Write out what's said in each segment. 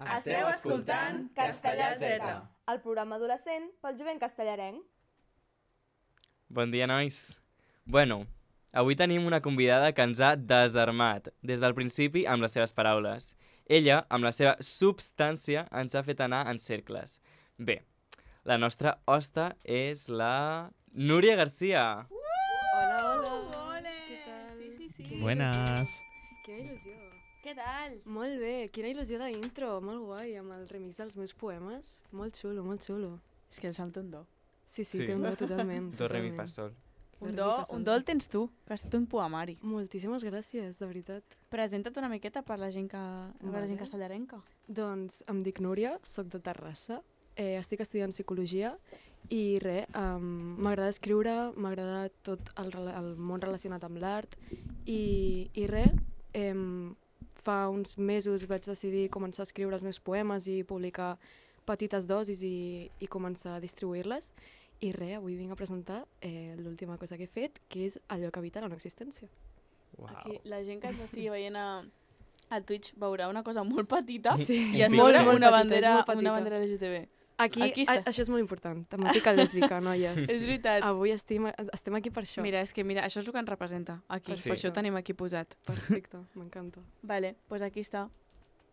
Esteu escoltant Castellà Z, el programa adolescent pel jovent castellarenc. Bon dia, nois. Bueno, avui tenim una convidada que ens ha desarmat des del principi amb les seves paraules. Ella, amb la seva substància, ens ha fet anar en cercles. Bé, la nostra hosta és la Núria Garcia. Hola, hola. Ole! Què tal? Sí. Buenas. Quina il·lusió. Què tal? Molt bé, quina il·lusió d'intro, molt guai, amb el remix dels meus poemes. Molt xulo, molt xulo. És que el Sam té un do. Sí, Sí. té un do totalment. Do, re, mi, fa, totalment. sol. Un Do, do, re, mi, fa, sol. un do el tens tu, que has fet un poemari. Moltíssimes gràcies, de veritat. Presenta't una miqueta per la gent castellarenca. Doncs em dic Núria, soc de Terrassa, estic estudiant psicologia i res, m'agrada escriure, m'agrada tot el món relacionat amb l'art i res, fa uns mesos vaig decidir començar a escriure els meus poemes i publicar petites dosis i començar a distribuir-les. I res, avui vinc a presentar l'última cosa que he fet, que és allò que evita la no existència. Uau. Aquí, la gent que ens estigui veient a Twitch veurà una cosa molt petita Sí, i a Molt, sobre molt una petita, és bandera, molt petita. una bandera LGTB. Aquí Aquí està. això és molt important, temàtica lèsbica, noies. És veritat. Avui estem aquí per això. Mira, això és el que ens representa aquí. Sí. Per això ho tenim aquí posat. Perfecte, m'encanta. Vale, doncs aquí està.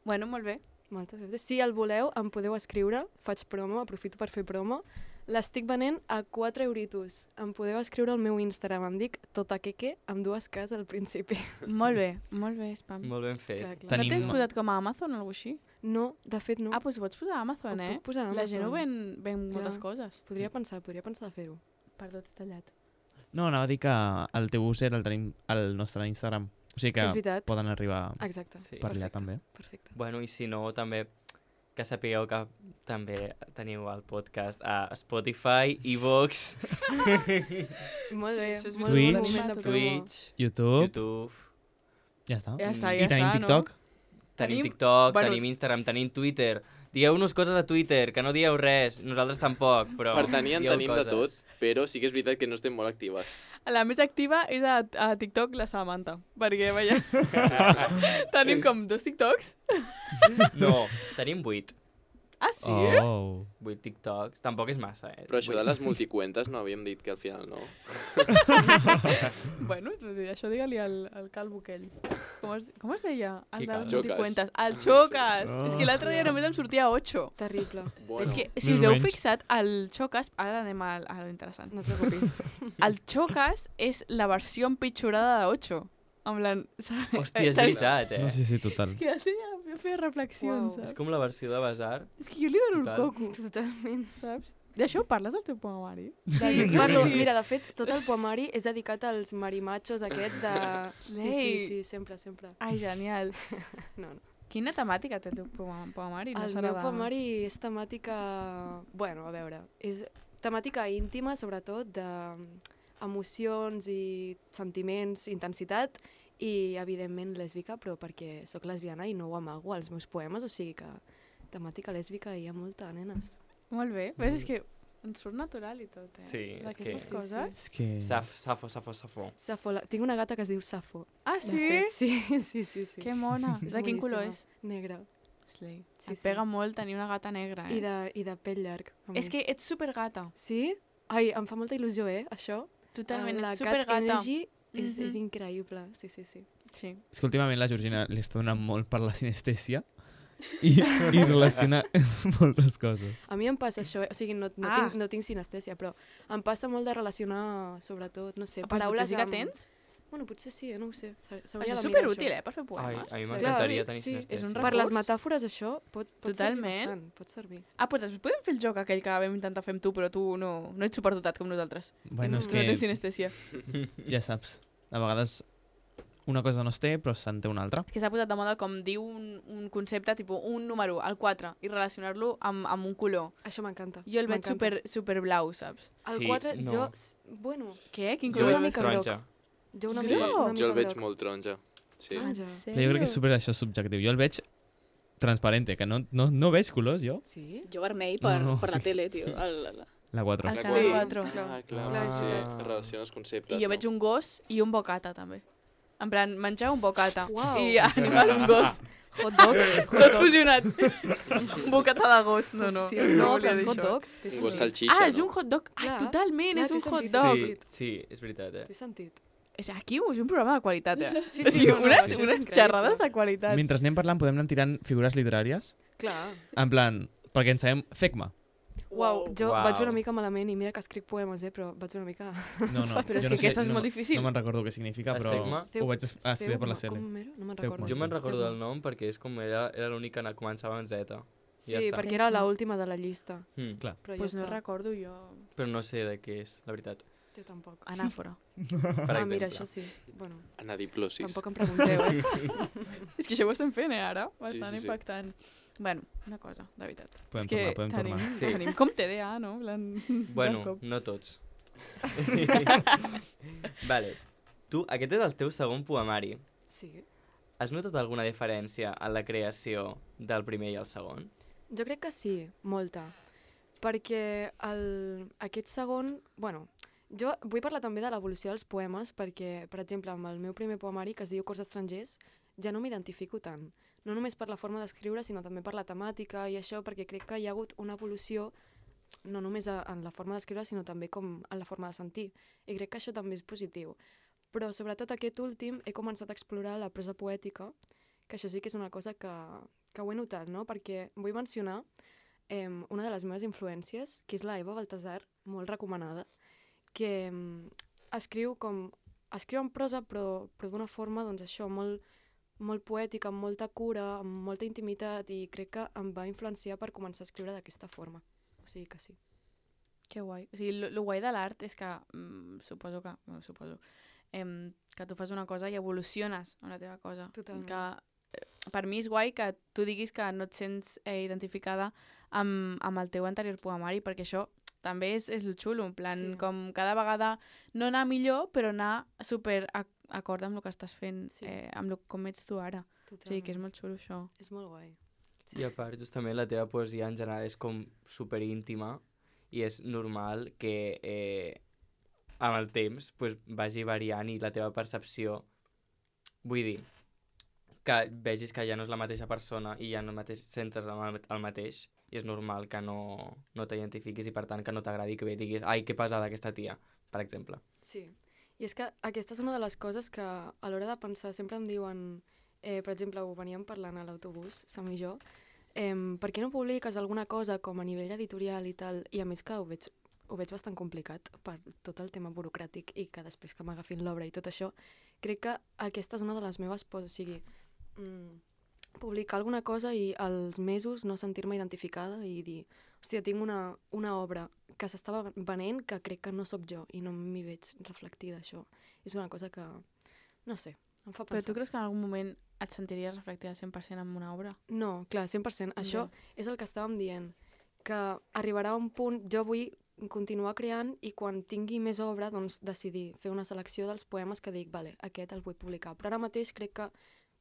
Bueno, molt bé. Moltes gràcies. Si el voleu, em podeu escriure, faig promo, aprofito per fer promo. L'estic venent a 4 euritos. Em podeu escriure al meu Instagram, em dic totaqueque, amb 2 Ks al principi. Molt bé, Spam. Molt ben fet. Clar, clar. No Tenim- tens posat com a Amazon o alguna cosa així? No, de fet no. Ah, doncs ho pots posar a Amazon, Ho eh? puc posar a La gent ho Amazon. ven Clar. moltes coses. Podria pensar de fer-ho. Perdó, t'he tallat. No, anava a dir que el teu user el tenim al nostre Instagram. O sigui que És veritat. poden arribar Exacte. Sí. per allà Perfecte. també. Perfecte. Bueno, i si no, també que sapigueu que també teniu el podcast a Spotify, iVoox, Molt bé. això és molt Twitch. bon moment de promo. Twitch, YouTube, YouTube. ja està. Ja està, I tenim TikTok. Tenim Tenim- TikTok, bueno- tenim Instagram, tenim Twitter. Dieu-nos coses a Twitter, que no dieu res. Nosaltres tampoc, però Per tenir en dieu tenim de tot, coses. però sí que és veritat que no estem molt actives. La més activa és a TikTok la Samantha, perquè veia... Tenim com 2 TikToks. No, tenim 8. Ah, sí? Oh. 8 TikToks. Tampoc és massa, eh? Però això de 8. les multicuentes no havíem dit que al final no. Bueno, això digue-li al calvo aquell. Com es deia? Qui El de les calvo? multicuentes. El Xocas! Oh. És que l'altre dia només em sortia 8. Terrible. Bueno, És que, si Més us o heu menys. fixat, el Xocas... Ara anem a lo interessant. No et preocupis. El Xocas és la versió empitjorada de 8. Amb la... Hòstia, és veritat, eh? No sé si total. És que ja feia reflexions, Uau. saps? És com la versió de Basar. És que jo li dono Total. el coco, Totalment. saps? D'això parles del teu poemari? Sí, parlo, mira, de fet, tot el poemari és dedicat als marimachos aquests de... Sí, sempre. Ai, genial. No. Quina temàtica té el teu poemari? No El serà meu de- poemari és temàtica... Bueno, a veure, és temàtica íntima, sobretot, d'emocions i sentiments, intensitat, i, evidentment, lèsbica, però perquè sóc lesbiana i no ho amago als meus poemes, o sigui que temàtica lèsbica hi ha molta, nenes. Molt bé. Ves, és que ens surt natural i tot, eh? Sí, és D'aquestes que- coses. És que... Safo. Safo, tinc una gata que es diu Safo. Ah, de sí? fet, sí. Que mona. De quin color és? Negra. Slay. Sí, Et pega molt tenir una gata negra, eh? I de pell llarg. a És més. que ets supergata. Sí? Ai, em fa molta il·lusió, això. Totalment, La ets Cat supergata. Energy és Mhm. increïble, sí. Sí. És que últimament la Georgina li està donant molt per la sinestèsia i relaciona moltes coses. A mi em passa això, o sigui, no Ah. tinc sinestèsia, però em passa molt de relacionar, sobretot, no sé, Però paraules potser sí que tens? Bueno, potser sí, no ho sé. Això és superútil, per fer poemes. Ai, a mi Clar, m'encantaria tenir sí, sinestèsia. és un Per les recurs. metàfores, això pot Totalment. servir bastant, pot servir. Ah, però després podem fer el joc aquell que vam intentar fer amb tu, però tu no ets superdotat com nosaltres. Bueno, és Tu no tens que sinestèsia. ja saps, a vegades una cosa no es té, però se'n té una altra. És que s'ha posat de moda com dir un concepte, tipus un número, el 4, i relacionar-lo amb un color. Això m'encanta. Jo el veig m'encanta. super blau, saps? El Sí, 4, no. jo... Bueno, Què? Quin Jo color una el veig? mica groc. Taronja. jo una Groc? mica, una mica Jo el veig groc. molt taronja. Sí. Taronja. Però jo crec que és super això subjectiu. Jo el veig transparente, que no veig colors, jo. Sí? Jo vermell No, per la sí. tele, tio. La 4. El La canal Sí. 4. Ah, clar. Clar, és veritat. Relaciona els conceptes, I jo veig un gos i un bocata, també. En plan, menjar un bocata. Uau. I animar un gos. Hot dog. Tot fusionat. Un bocata de gos. No, no. Hòstia, no, volia però els dir hot això. dogs té Un sentit. gos salxixa, És un hot dog. Clar, Totalment, clar, és un té hot sentit. dog. Sí, és veritat, Té sentit. Aquí és un programa de qualitat, Sí, O sigui, no, no, això és unes increïble. xerrades de qualitat. Mentre anem parlant podem anar tirant figures literàries. Clar. En plan, perquè en sabem Fekma. Uau, jo Uau. vaig una mica malament i mira que escric poemes, però vaig una mica... No, no, Però és jo que no sé, aquesta és no, molt difícil. No me'n recordo què significa, A però Fekma? ho vaig estudiar per la Feuma, Cele. com era? No me'n Feuma. recordo. Jo me'n recordo Feuma. del nom perquè és com era l'únic que començava en Z. Sí, ja està. perquè era l'última de la llista. Clar. Però Pues ja no està. recordo jo. Però no sé de què és, la veritat. Jo tampoc. Anàfora. Per Mira, exemple. això sí. Bueno, Anadiplosis. tampoc em pregunteu, És que això ho estem fent, ara? Bastant sí. impactant. Bueno, una cosa, de veritat. Podem és que tornar. tenim, Sí. tenim com TDA, no? En plan, Bueno, de cop. no tots. Vale. Tu, aquest és el teu segon poemari. sí. Has notat alguna diferència en la creació del primer i el segon? Jo crec que sí, molta. Perquè aquest segon... Bueno, jo vull parlar també de l'evolució dels poemes perquè, per exemple, amb el meu primer poemari, que es diu Cors estrangers, ja no m'identifico tant. No només per la forma d'escriure, sinó també per la temàtica i això, perquè crec que hi ha hagut una evolució no només en la forma d'escriure, sinó també com en la forma de sentir. I crec que això també és positiu. Però sobretot aquest últim he començat a explorar la prosa poètica, que això sí que és una cosa que ho he notat, no? Perquè vull mencionar una de les meves influències, que és la Eva Baltasar, molt recomanada, que escriu en prosa però d'una forma, doncs això, molt poètica, amb molta cura, amb molta intimitat, i crec que em va influenciar per començar a escriure d'aquesta forma. O sigui que sí. Que guai. O sigui, lo guai de l'art és que, suposo, que tu fas una cosa i evoluciones amb la teva cosa. Totalment. Que per mi és guai que tu diguis que no et sents identificada amb el teu anterior poemari, perquè això també és el xulo, en plan, Sí. com cada vegada no anar millor, però anar super acord amb el que estàs fent, Sí. amb com ets tu ara. O Totalment. sigui, que és molt xulo això. És molt guai. I a part, justament, la teva poesia en general és com superíntima i és normal que amb el temps pues, vagi variant i la teva percepció, vull dir, que vegis que ja no és la mateixa persona i ja no sentes el mateix, i és normal que no t'identifiquis i per tant que no t'agradi, que bé diguis ai, que pesada aquesta tia, per exemple. Sí, i és que aquesta és una de les coses que a l'hora de pensar sempre em diuen, per exemple, ho veníem parlant a l'autobús, Sam i jo, per què no publiques alguna cosa com a nivell editorial i tal, i a més que ho veig bastant complicat per tot el tema burocràtic i que després que m'agafin l'obra i tot això, crec que aquesta és una de les meves pors, o sigui, publicar alguna cosa i als mesos no sentir-me identificada i dir, hòstia, tinc una obra que s'estava venent que crec que no sóc jo i no m'hi veig reflectida, això. És una cosa que, no sé, em fa Però pensar. tu creus que en algun moment et sentiries reflectida 100% en una obra? No, clar, 100%. Això és el que estàvem dient, que arribarà a un punt, jo vull continuar creant i quan tingui més obra, doncs decidir fer una selecció dels poemes que dic, vale, aquest el vull publicar. Però ara mateix crec que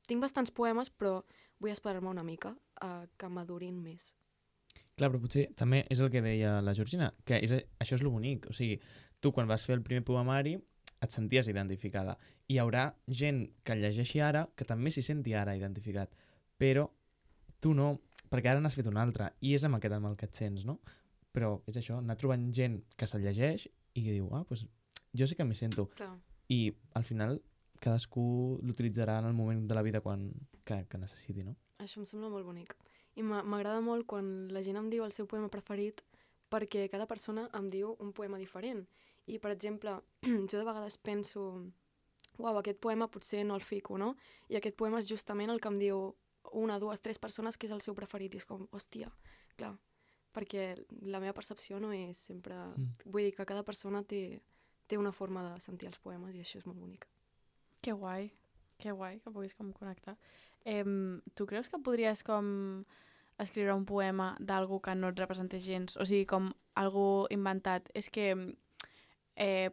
tinc bastants poemes, però vull esperar-me una mica a que madurin més. Clar, però potser també és el que deia la Georgina, que això és lo bonic. O sigui, tu quan vas fer el primer poemari et senties identificada. I hi haurà gent que el llegeixi ara que també s'hi senti ara identificat. Però tu no, perquè ara n'has fet un altre i és amb aquest amb el que et sents, no? Però és això, anar trobant gent que se'l llegeix i que diu, doncs jo sí que m'hi sento. Clar. I al final cadascú l'utilitzarà en el moment de la vida que necessiti, no? Això em sembla molt bonic. I m'agrada molt quan la gent em diu el seu poema preferit perquè cada persona em diu un poema diferent. I, per exemple, jo de vegades penso uau, aquest poema potser no el fico, no? I aquest poema és justament el que em diu una, dues, tres persones que és el seu preferit. I és com, hòstia, clar, perquè la meva percepció no és sempre... Vull dir que cada persona té una forma de sentir els poemes i això és molt bonic. Que guai que puguis com connectar. Tu creus que podries com escriure un poema d'algú que no et representés gens? O sigui, com algú inventat. És que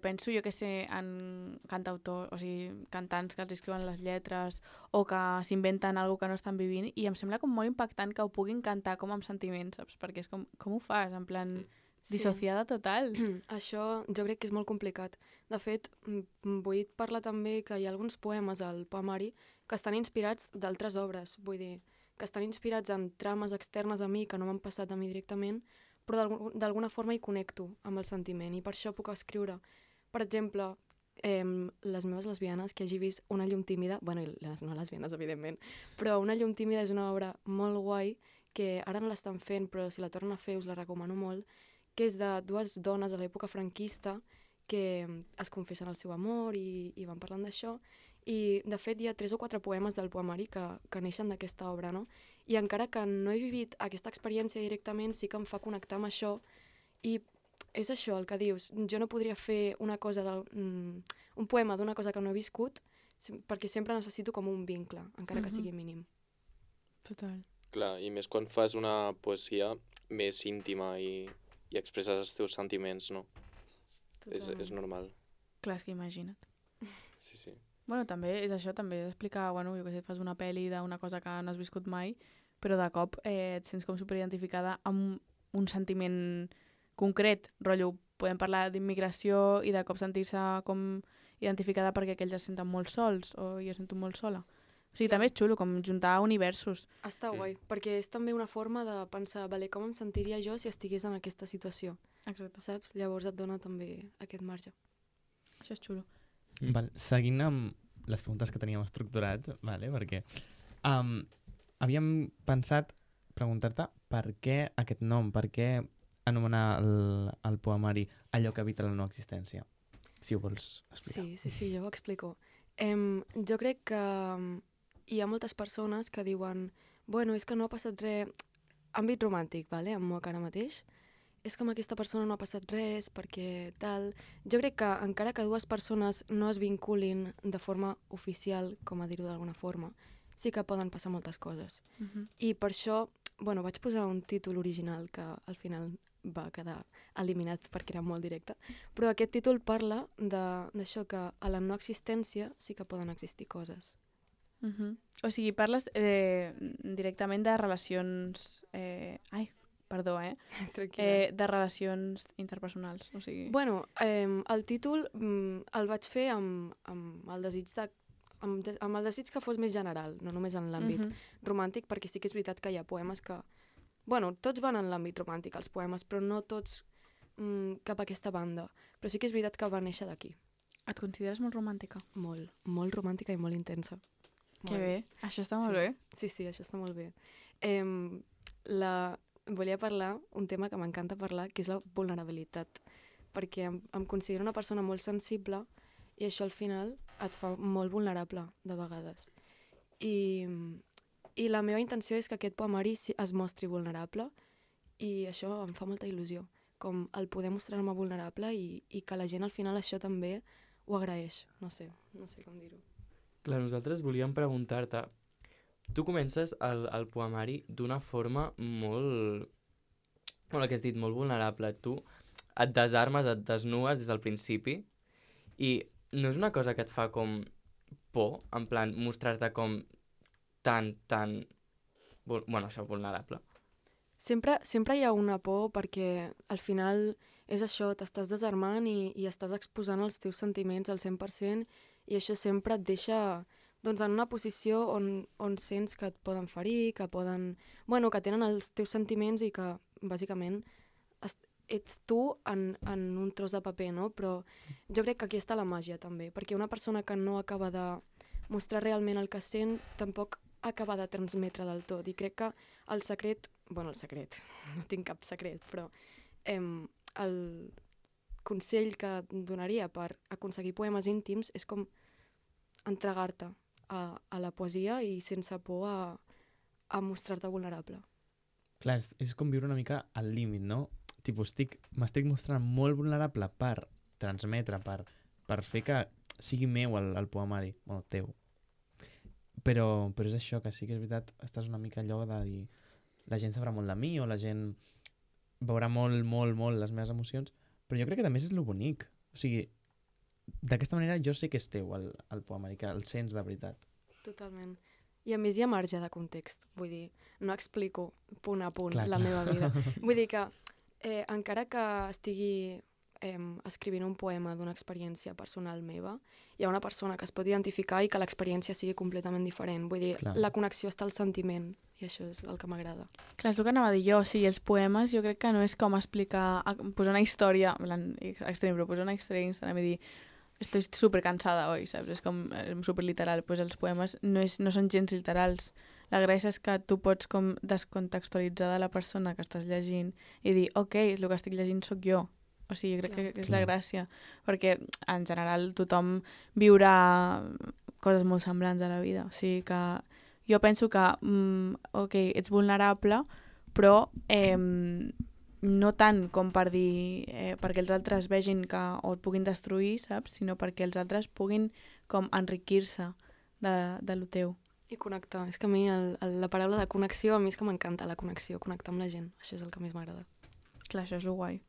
penso, jo que sé, en cantautors, o sigui, cantants que els escriuen les lletres o que s'inventen alguna que no estan vivint i em sembla com molt impactant que ho puguin cantar com amb sentiments, saps? Perquè és com ho fas? En plan, dissociada total. Això jo crec que és molt complicat. De fet, vull parlar també que hi ha alguns poemes al poemari que estan inspirats d'altres obres, vull dir, que estan inspirats en trames externes a mi que no m'han passat a mi directament, però d'alguna forma hi connecto amb el sentiment i per això puc escriure. Per exemple, les meves lesbianes, que hagi vist Una llum tímida, bueno, i les no lesbianes, evidentment, però Una llum tímida és una obra molt guai que ara no l'estan fent, però si la tornen a fer us la recomano molt, que és de dues dones a l'època franquista que es confessen el seu amor i van parlant d'això. I, de fet, hi ha 3 o 4 poemes del poemari que neixen d'aquesta obra, no? I encara que no he vivit aquesta experiència directament, sí que em fa connectar amb això. I és això el que dius. Jo no podria fer una cosa un poema d'una cosa que no he viscut perquè sempre necessito com un vincle, encara que sigui mínim. Total. Clar, i més quan fas una poesia més íntima i expresses els teus sentiments, no? És normal. Clar, és que imagina't. Sí, sí. Bueno, també és això, també és explicar, bueno, jo què sé, fas una pel·li d'una cosa que no has viscut mai, però de cop et sents com superidentificada amb un sentiment concret, rotllo, podem parlar d'immigració i de cop sentir-se com identificada perquè aquells es senten molt sols o jo sento molt sola. O sigui, també és xulo, com juntar universos. Està guai, perquè és també una forma de pensar, vale, com em sentiria jo si estigués en aquesta situació, Exacte. saps? Llavors et dona també aquest marge. Això és xulo. Val, seguint amb les preguntes que teníem estructurat, vale, perquè havíem pensat preguntar-te per què aquest nom, per què anomenar el poemari allò que evita la no existència, si ho vols explicar. Sí, jo ho explico. Jo crec que hi ha moltes persones que diuen bueno, és que no ha passat res, àmbit romàntic, vale? Amb Moc ara mateix, és que amb aquesta persona no ha passat res, perquè tal... Jo crec que encara que dues persones no es vinculin de forma oficial, com a dir-ho d'alguna forma, sí que poden passar moltes coses. I per això, bueno, vaig posar un títol original que al final va quedar eliminat perquè era molt directe, però aquest títol parla d'això que a la no existència sí que poden existir coses. O sigui, parles directament de relacions... de relacions interpersonals, o sigui... Bueno, el títol el vaig fer amb el desig amb el desig que fos més general, no només en l'àmbit romàntic, perquè sí que és veritat que hi ha poemes que... Bueno, tots van en l'àmbit romàntic, els poemes, però no tots cap a aquesta banda. Però sí que és veritat que va néixer d'aquí. Et consideres molt romàntica? Molt, molt romàntica i molt intensa. Que bé, això està molt bé. Sí, això està molt bé. Volia parlar, un tema que m'encanta parlar, que és la vulnerabilitat, perquè em considero una persona molt sensible i això al final et fa molt vulnerable de vegades. I la meva intenció és que aquest poemari es mostri vulnerable i això em fa molta il·lusió, com el poder mostrar-me vulnerable i que la gent al final això també ho agraeix. No sé com dir-ho. Clar, nosaltres volíem preguntar-te, tu comences el poemari d'una forma molt, el que has dit, molt vulnerable. Tu et desarmes, et desnues des del principi i no és una cosa que et fa com por, en plan, mostrar-te com tan, això, vulnerable. Sempre hi ha una por perquè al final és això, t'estàs desarmant i estàs exposant els teus sentiments al 100% i això sempre et deixa doncs, en una posició on sents que et poden ferir, que tenen els teus sentiments i que bàsicament ets tu en un tros de paper, no? Però jo crec que aquí està la màgia també, perquè una persona que no acaba de mostrar realment el que sent tampoc acaba de transmetre del tot i crec que el secret, no tinc cap secret, però el consell que donaria per aconseguir poemes íntims és com entregar-te a la poesia i sense por a mostrar-te vulnerable. Clar, és com viure una mica al límit, no? M'estic mostrant molt vulnerable per transmetre, per fer que sigui meu el poemari, teu. Però és això, que sí que és veritat, estàs una mica allò de dir la gent sabrà molt de mi o la gent veurà molt les meves emocions, però jo crec que també és lo bonic. O sigui, d'aquesta manera jo sé que és teu el poemari, que el sents de veritat. Totalment. I a més hi ha marge de context, vull dir, no explico punt a punt la meva vida. Vull dir que encara que estigui escrivint un poema d'una experiència personal meva, hi ha una persona que es pot identificar i que l'experiència sigui completament diferent. Vull dir, Clar. la connexió està al sentiment, i això és el que m'agrada. Clar, és el que anava a dir jo, o sigui, els poemes jo crec que no és com explicar, posar una història, extrem, però posar una història a Instagram i dir estoy súper cansada hoy, saps? És com súper literal. Pues els poemes no són gens literals. La gràcia és que tu pots com descontextualitzar de la persona que estàs llegint i dir, ok, el que estic llegint sóc jo. O sigui, crec que és la gràcia. Perquè, en general, tothom viurà coses molt semblants a la vida. O sigui que jo penso que, ok, ets vulnerable, però no tant com per dir perquè els altres vegin que o et puguin destruir, saps? Sinó perquè els altres puguin com enriquir-se de lo teu. I connectar. És que a mi la paraula de connexió, a mi és que m'encanta la connexió, connectar amb la gent. Això és el que més m'agrada. Clar, això és lo guai.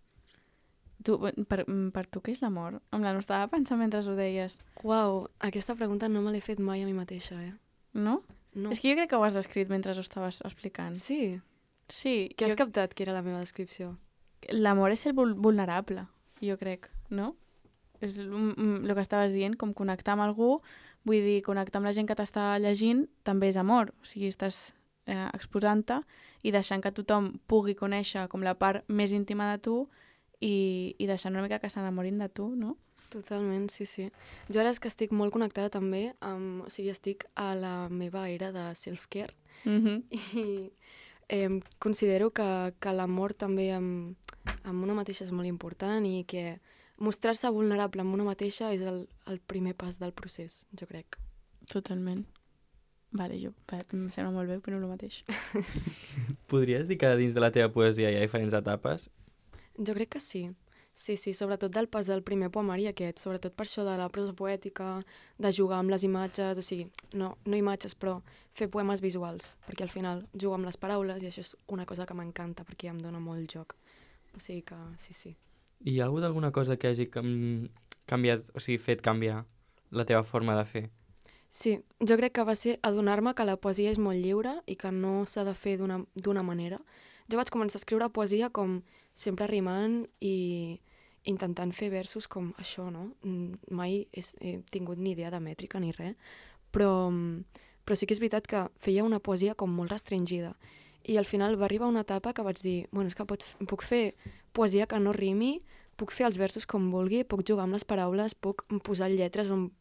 Tu, per tu què és l'amor? No estava pensant mentre ho deies. Uau, aquesta pregunta no me l'he fet mai a mi mateixa, No? No. És que jo crec que ho has descrit mentre ho estaves explicant. Sí. Sí. Què has captat que era la meva descripció? L'amor és ser vulnerable, jo crec, no? És el que estaves dient, com connectar amb algú, vull dir, connectar amb la gent que t'està llegint també és amor. O sigui, estàs exposant-te i deixant que tothom pugui conèixer com la part més íntima de tu i deixant una mica que s'enamorin de tu, no? Totalment, sí, sí. Jo ara és que estic molt connectada també o sigui, estic a la meva era de self-care i considero que l'amor també amb una mateixa és molt important i que mostrar-se vulnerable amb una mateixa és el primer pas del procés, jo crec. Totalment. Vale, em sembla molt bé, però no el mateix. Podries dir que dins de la teva poesia hi ha diferents etapes? Jo crec que sí. Sí, sobretot del pas del primer poemari aquest, sobretot per això de la prosa poètica, de jugar amb les imatges, o sigui, no imatges, però fer poemes visuals, perquè al final jugo amb les paraules i això és una cosa que m'encanta perquè em dona molt joc. O sigui que sí. I hi ha hagut alguna cosa que hagi canviat, o sigui, fet canviar la teva forma de fer? Sí, jo crec que va ser adonar-me que la poesia és molt lliure i que no s'ha de fer d'una manera. Jo vaig començar a escriure poesia com sempre rimant i intentant fer versos com això, no? Mai he tingut ni idea de mètrica ni res, però sí que és veritat que feia una poesia com molt restringida. I al final va arribar una etapa que vaig dir, bueno, és que puc fer poesia que no rimi, puc fer els versos com vulgui, puc jugar amb les paraules, puc posar lletres on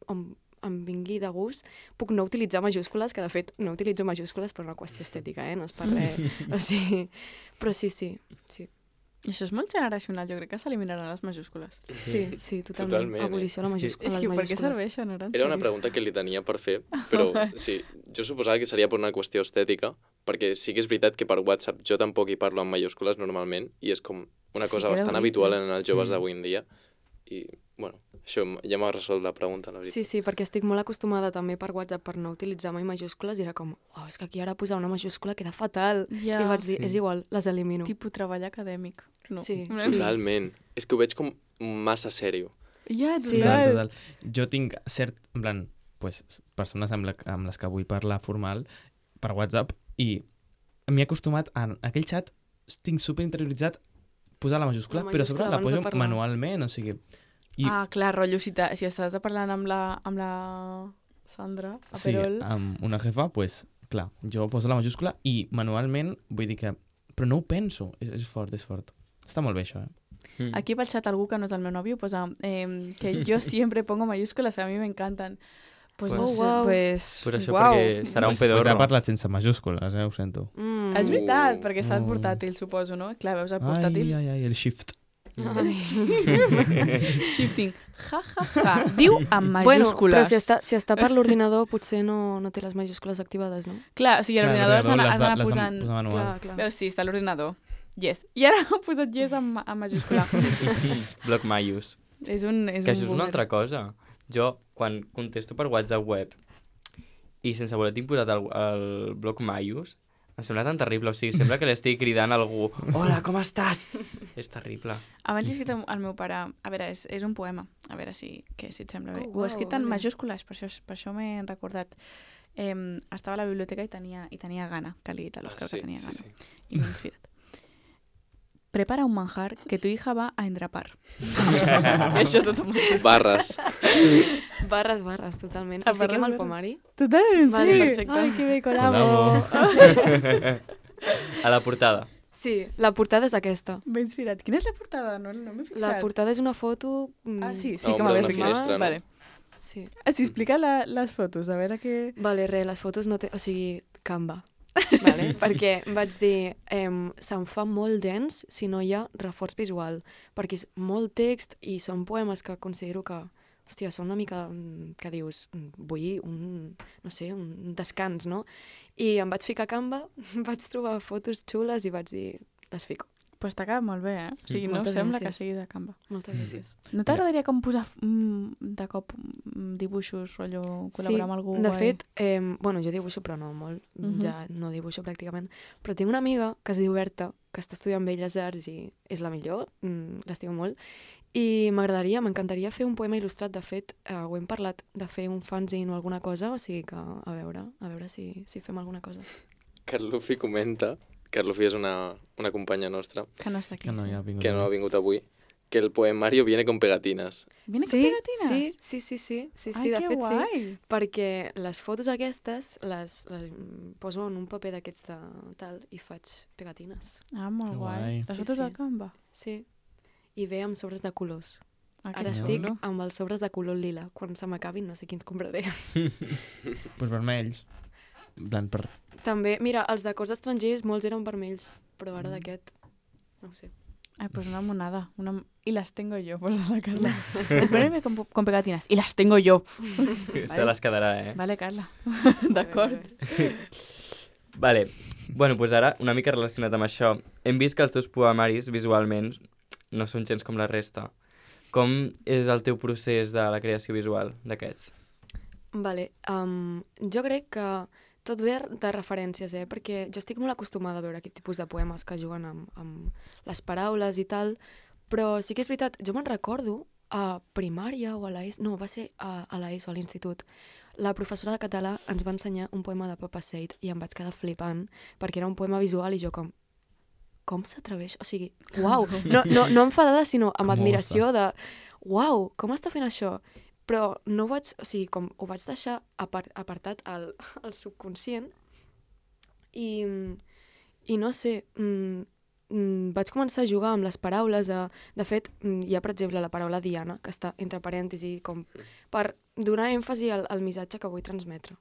em vingui de gust, puc no utilitzar majúscules, que de fet no utilitzo majúscules per una qüestió estètica, no és per res. O sigui, però sí. I això és molt generacional, jo crec que s'eliminaran les majúscules. Sí, totalment. Abolició a les majúscules. És que per què serveixen ara? Era una pregunta que li tenia per fer, però sí, jo suposava que seria per una qüestió estètica, perquè sí que és veritat que per WhatsApp jo tampoc hi parlo en majúscules normalment, i és com una cosa bastant habitual en els joves d'avui en dia, i, bueno, això ja m'ha resolt la pregunta, la veritat. Sí, perquè estic molt acostumada també per WhatsApp per no utilitzar mai majúscules i era com, uau, és que aquí ara posar una majúscula queda fatal. I vaig dir, és igual, les elimino. Tipus treball acadèmic. No. Sí. Totalment. És que ho veig com massa sèrio. Ja, total. Jo tinc en plan, persones amb les que vull parlar formal per WhatsApp i m'he acostumat a aquell xat, tinc superinterioritzat posar la majúscula, però sobre la poso manualment, o sigui... clar, rotllo, si estàs parlant amb la Sandra, a Perol... Sí, amb una jefa, clar, jo poso la majúscula i manualment vull dir que... Però no ho penso, és fort. Està molt bé això, Aquí pel xat algú que no és el meu nòvio posa que yo siempre pongo mayúsculas, a mi m'encanten. Pues això perquè serà un pedorro. Ha parlat sense majúscules, ho sento. És veritat, perquè està el portàtil, suposo, no? Clar, veus el portàtil? Ai, el shift. Shifting. Ja. Diu amb majúscules. Bueno, però si està per l'ordinador potser no té les majúscules activades, no? Clar, o sigui, a l'ordinador has d'anar posant... Clar. Veus, sí, està a l'ordinador. Yes. I ara he posat yes amb majúscula. Bloc Maius. Que això és una altra cosa. Jo, quan contesto per WhatsApp web i sense voler tinc posat el bloc Maius, em sembla tan terrible, o sigui, sembla que li estigui cridant a algú. Hola, com estàs? És terrible. Abans he escrit al meu pare, a veure, és un poema, a veure si et sembla bé. Ho he escrit en majúscules, per això m'he recordat. Estava a la biblioteca i tenia gana, que li he dit a l'Òscar que tenia gana. I m'he inspirat. prepara un manjar que tu hija va a endrapar. Això tothom ho saps. Barres. Barres, totalment. Ah, El fiquem al barres. pomari? Totalment, Vale, sí. perfecte. Ai, que bé, Colabo. A la portada. Sí, la portada és aquesta. M'he inspirat. Quina és la portada? No m'he fixat. La portada és una foto... Ah, sí, No, que però m'havia una fixat. finestra, no? Vale. Sí. Sí, explica les fotos, a veure què... Vale, les fotos no té... O sigui, Canva. Vale? Perquè vaig dir, se'm fa molt dens si no hi ha reforç visual, perquè és molt text i són poemes que considero que, hòstia, són una mica, que dius, vull no sé, un descans, no? I em vaig ficar a Canva, vaig trobar fotos xules i vaig dir, les fico. Pues t'ha quedat molt bé, eh? O sigui, no Moltes sembla que gràcies. sigui de Canva. Moltes gràcies. No t'agradaria com posar de cop dibuixos, rotllo, col·laborar amb algú de guai? fet, bueno, jo dibuixo, però no molt, ja no dibuixo pràcticament, però tinc una amiga que es diu Berta, que està estudiant Belles Arts i és la millor, l'estimo molt, i m'encantaria fer un poema il·lustrat. De fet, ho hem parlat de fer un fanzine o alguna cosa, o sigui que a veure si fem alguna cosa. Carlufi comenta, Carlufi és una companya nostra, Que no està aquí. Que no hi ha vingut. que no ha vingut avui, que el poemario viene con pegatinas. Viene Sí, con pegatines? sí, Ai, de que fet guai. sí, perquè les fotos aquestes les poso en un paper d'aquests de tal i faig pegatines. Ah, molt Que guai. guai. Les Sí, fotos sí. al Canva? Sí, i ve amb sobres de colors. Ah, que Ara xulo. estic amb els sobres de color lila. Quan se m'acabin no sé quins compraré. Pues vermells. En plan, per... També, mira, els de cors estrangers molts eren vermells, però ara d'aquest, no ho sé. Ay, pues una monada. Y las tengo yo, pues la Carla. Poneme con pegatinas. Y las tengo yo. Se les quedarà, eh? Vale, Carla. D'acord. Vale. Bueno, doncs ara, una mica relacionat amb això, hem vist que els teus poemaris, visualment, no són gens com la resta. Com és el teu procés de la creació visual d'aquests? Vale, jo crec que tot ve de referències, perquè jo estic molt acostumada a veure aquest tipus de poemes que juguen amb les paraules i tal, però sí que és veritat, jo me'n recordo a primària o a l'ESO, no, va ser a l'ESO, a l'institut, la professora de català ens va ensenyar un poema de Papa Seid i em vaig quedar flipant, perquè era un poema visual i jo com s'atreveix? O sigui, uau, no enfadada, sinó amb Com admiració de, uau, com està fent això? Però no ho vaig, o sigui, com ho vaig deixar apartat al subconscient i no sé, vaig començar a jugar amb les paraules. De fet, hi ha, per exemple, la paraula Diana, que està entre parèntesis, com per donar èmfasi al missatge que vull transmetre.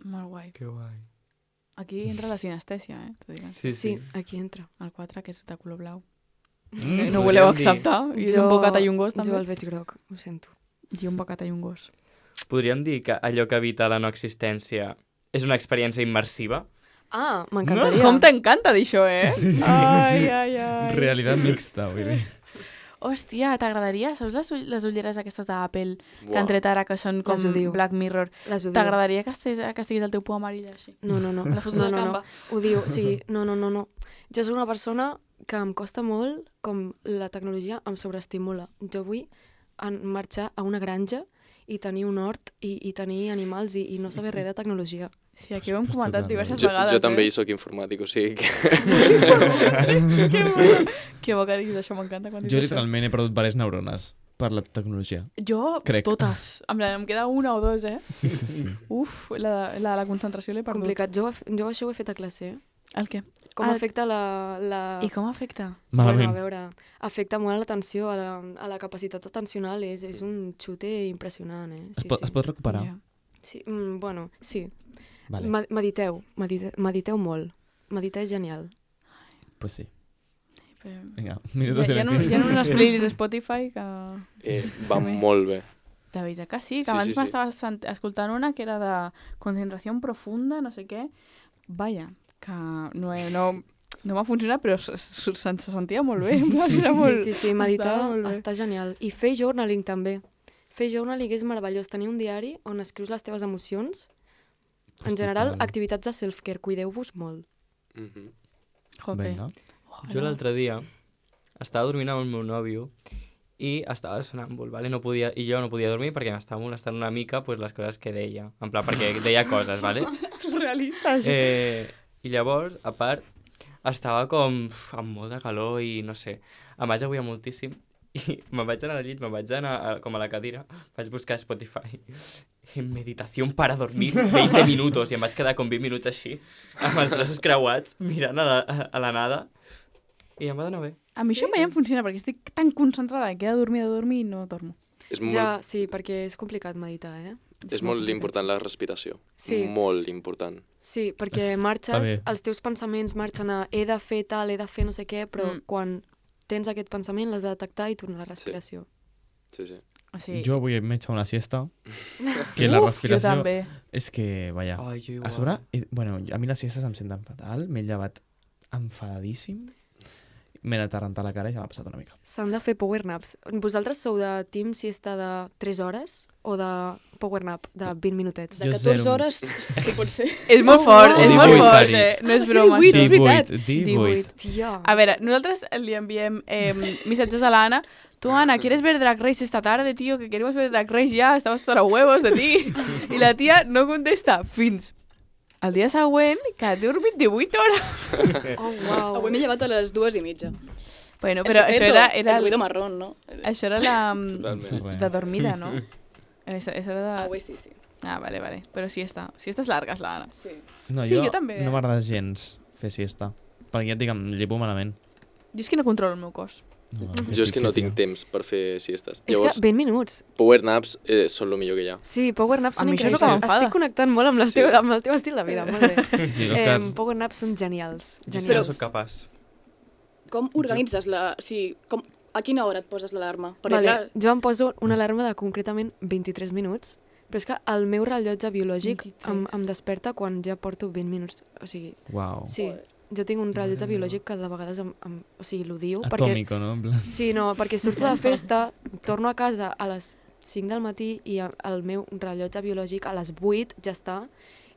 Molt guai. Que guai. Aquí entra la sinestèsia, t'ho diré. Sí, aquí entra. El 4, que és de color blau. Mm, No ho voleu podríem dir- acceptar? I és un bocat i un gos, també? Jo el veig groc, ho sento. I un bocat i un gos. Podríem dir que allò que evita la no existència és una experiència immersiva? Ah, m'encantaria. Com t'encanta dir això, eh? Ai, ai, ai. Realitat mixta, vull dir. Hòstia, t'agradaria? Saps les ulleres aquestes d'Apple que Buah. han tret ara, que són com Les odio. Black Mirror? Les odio. T'agradaria que estiguis al teu poemari allà així? No. La foto no, de no, Canva? no. Ho diu, sí, no. Jo soc una persona que em costa molt com la tecnologia em sobreestimula. Jo vull marxar a una granja i tenir un hort i tenir animals i no saber res de tecnologia. Sí, aquí ho hem comentat totalment. diverses Jo vegades, també eh? hi soc informàtic, o sigui que... Que bona. Que bo que diguis això, m'encanta quan dius Jo això. literalment he perdut diverses neurones per la tecnologia. Jo, Crec. totes. Em queda una o dos, eh? Sí. Uf, la de la concentració l'he perdut. Complicat. Jo això ho he fet a classe. El què? Com afecta la... I com afecta? Malament. Bueno, a veure, afecta molt a l'atenció, a la capacitat atencional. És un xute impressionant, eh? Sí, Es pot recuperar? Ja. Sí, bueno, sí. Vale, Mediteu molt. Meditar és genial. pues sí. Però... Vinga, minut de Hi ha silenci. unes playlists de Spotify que... Va molt bé. De veritat que sí, que Sí, abans sí, sí. m'estaves escoltant una que era de concentració profunda, no sé què. Vaja, que no m'ha funcionat, però se sentia molt bé. En plan, era molt... Sí, meditar estava molt bé. està genial. I fer journaling també. Fer journaling és meravellós. Tenir un diari on escrius les teves emocions. En general, Total. activitats de self-care. Cuideu-vos molt. Mhm. Jope. Vinga. Jo l'altre dia estava dormint amb el meu nòvio i estava sonàmbul, ¿vale? I jo no podia dormir perquè m'estava molestant una mica pues, les coses que deia. En plan, perquè deia coses, ¿vale? Surrealista, això. I llavors, a part, estava com amb molta calor i no sé, em vaig aguiar moltíssim i me'n vaig anar al llit, me'n vaig anar com a la cadira, vaig buscar a Spotify meditació para dormir 20 minuts i em vaig quedar com 20 minuts així, amb els braços creuats, mirant a la nada i em va donar bé. A mi això mai em funciona perquè estic tan concentrada que he de dormir i no dormo. Ja, sí, perquè és complicat meditar, És molt important la respiració. Sí. Molt important. Sí, perquè marxes, els teus pensaments marxen a he de fer tal, he de fer no sé què, però quan tens aquest pensament l'has de detectar i tornar a la respiració. Sí. Sí. Jo avui m'he eixat una siesta, que la respiració... Jo també. És que, vaja, Ai, jo igual. a sobre, bueno, a mi les siestes em senten fatal, m'he llevat enfadadíssim, m'he anat a rentar la cara i ja m'ha passat una mica. S'han de fer power naps. Vosaltres sou de team siesta de 3 hores o de power nap de 20 minutets? De Jo 14 zero. hores, sí, pot ser. És molt fort, és molt 18, fort. Cari. No és Ah, sí, broma, 18, això. és veritat. 18. Tia. A veure, nosaltres li enviem missatges a l'Anna. Tú, Ana, ¿quieres ver Drag Race esta tarde, tío? Que queremos ver Drag Race ya, estamos hasta los huevos de ti. I la tia no contesta fins el dia següent, que ha dormit 18 hores. Oh, uau. Avui m'he llevat a les 2:30. Bueno, però això era El ruido marrón, no? això era la Totalment. de dormida, no? Això era de... Avui sí. Ah, vale. Però siestes largues, la Anna. Sí. No, Sí, jo també. no m'agrada gens fer siesta, perquè ja et dic, em llevo malament. Jo és que no controlo el meu cos. No, Jo és que no tinc temps per fer siestes. És que 20 minuts. Power naps són el millor que hi ha. Sí, power naps A són mi això és el increïbles. que m'enfada. Estic connectant molt amb, Sí. amb el teu estil de vida, molt bé. Sí, els Power naps són genials. Jo és que no Genials. soc capaç. Com organitzes la... Sí, a quina hora et poses l'alarma? Perquè, Vale. clar, Jo em poso una alarma de concretament 23 minuts, però és que el meu rellotge biològic 23. em desperta quan ja porto 20 minuts. O sigui, Uau. sí, jo tinc un rellotge biològic que de vegades o sigui, l'odio. Perquè, Atòmico, no? En plan... sí, no, perquè surto de festa, torno a casa a les 5 del matí i el meu rellotge biològic a les 8 ja està.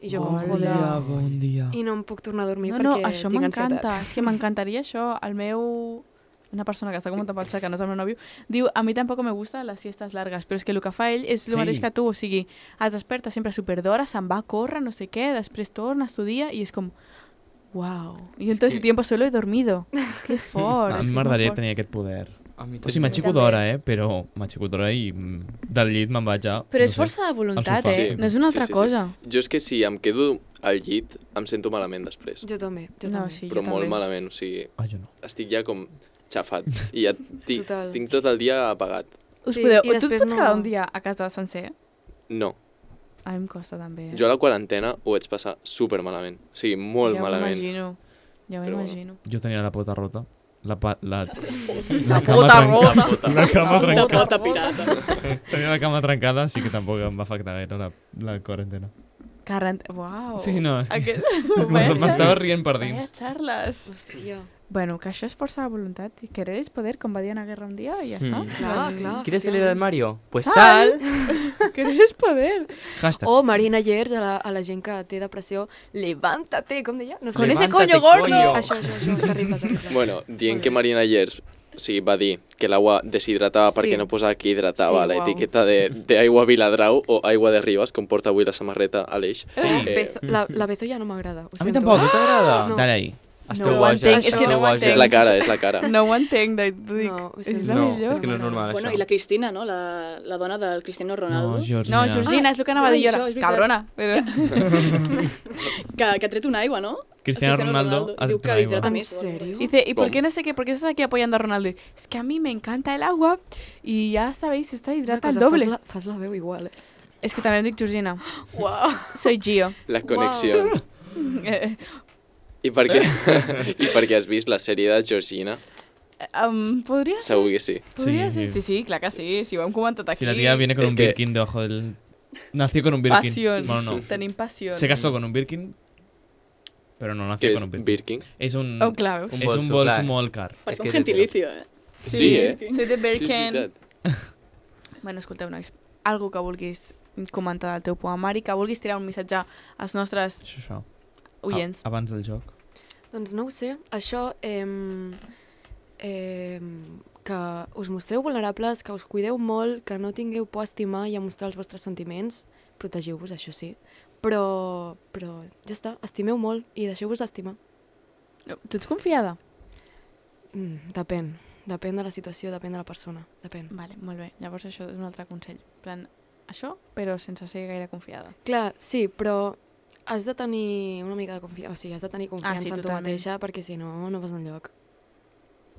I jo com, joder, bon dia. i no em puc tornar a dormir No, perquè això tinc m'encanta. ansietat. És que m'encantaria això. El meu... Una persona que està comentant pel xat, que no és el meu nòvio, diu, a mi tampoc me gusta les siestes largues, però és que el que fa ell és el mateix que tu, o sigui, es desperta sempre super d'hora, se'n va a córrer, no sé què, després torna, estudia, i és com, wow. I yo todo ese tiempo solo he dormido. Que fort. A és mi que és m'agradaria molt fort. tenir aquest poder. A mi O sigui, m'aixeco També. d'hora, però m'aixeco d'hora i del llit me'n vaig a... Però no és sé, força de voluntat, al sofà. Sí. No és una altra Sí. cosa. Jo és que si em quedo al llit, em sento malament després. Jo també, jo No, també. sí, Però jo molt també. malament, o sigui, Ah, jo no. estic ja com xafat. I ja Total. tinc tot el dia apagat. Us Sí, podeu... i Tu et després pots no- quedar un dia a casa sencer? No. A mi em costa també. Jo a la quarantena ho vaig passar super malament. O sigui, molt ja malament. m'imagino. Ja Però m'imagino. Jo tenia la pota rota. La pota cama rota. La cama de trencada. pota pirata. Tenia la cama trencada, així que tampoc em va afectar gaire la quarantena. Uau. Sí, no, és Aquest... m'estava rient per dins. Vaya charlas. Hòstia. Bueno, que això és força de voluntat. I querer és poder, com va dir Ana Guerra un dia, i ja està. Clar, clar. ¿Quieres salir del Mario? Pues Sal. sal. Querer és poder. Hashtag. O Marina Llers, a la gent que té depressió, levántate, com deia? No sé. Con ese Levántate, coño gordo. coño. Això, terrible, terrible. Bueno, dient que Marina Llers va dir que l'aigua deshidratava Sí. perquè no posava que hidratava Sí, la uau. etiqueta d'aigua Viladrau o aigua de Ribes, com porta avui la samarreta Aleix. La Bezo ja no m'agrada. Ho A mi sento. tampoc. No t'agrada? No. Dale ahí. Esteu ho boges. entenc, és que no ho Això- entenc. És la cara, és la cara. No ho entenc, t'ho dic. No, ho és sento. la No, millor. és que no és normal, Bueno, això. i la Cristina, no? La dona del Cristiano Ronaldo. No, Georgina. No, Georgina, és el que anava a dir jo. Això, és veritat. Cabrona. Però... Que ha tret una aigua, no? Cristiano El Ronaldo ha Diu tret que una aigua. hidrata ¿En més. o algo serio? així. Dice, ¿y por ¿Cómo? qué no sé qué? ¿Por qué estás aquí apoyando a Ronaldo? Es que a mí me encanta el agua y ya sabéis, esta Una hidrata el cosa, doble. fas la veu igual. Es que también dic Georgina. Uau. Soy Gio. La connexió. Eh, I per què? I perquè has vist la sèrie de Georgina? Podria ser? Segur que sí. Podria Sí, ser? sí. Sí, clar que sí. Si ho hem comentat aquí. Si la tía viene con Es un que- Birkin debajo del... Nació con un Birkin. Pasión. Bueno, no. Tenim passió. Se casó con un Birkin, pero no nació Què con és un Birkin. Birkin? Es un... Oh, clar, veus? Es bolso, un bolso clar. molt car. Parece que un és hetero. gentilicio, eh? Sí, eh? Soy de Sí, és Birken. veritat. Bueno, escolteu, nois, algo que vulguis comentar del teu poemari, que vulguis tirar un missatge als nostres Això. oients. Abans del joc. Doncs no ho sé, això, que us mostreu vulnerables, que us cuideu molt, que no tingueu por a estimar i a mostrar els vostres sentiments, protegiu-vos, això sí, però ja està, estimeu molt i deixeu-vos estimar. Tu ets confiada? Depèn. Depèn de la situació, depèn de la persona. Depèn. Vale, molt bé. Llavors això és un altre consell. En plan, això, però sense ser gaire confiada. Clar, sí, però has de tenir una mica de confiança. O sigui, has de tenir confiança en tu totalment. mateixa perquè si no, no vas enlloc.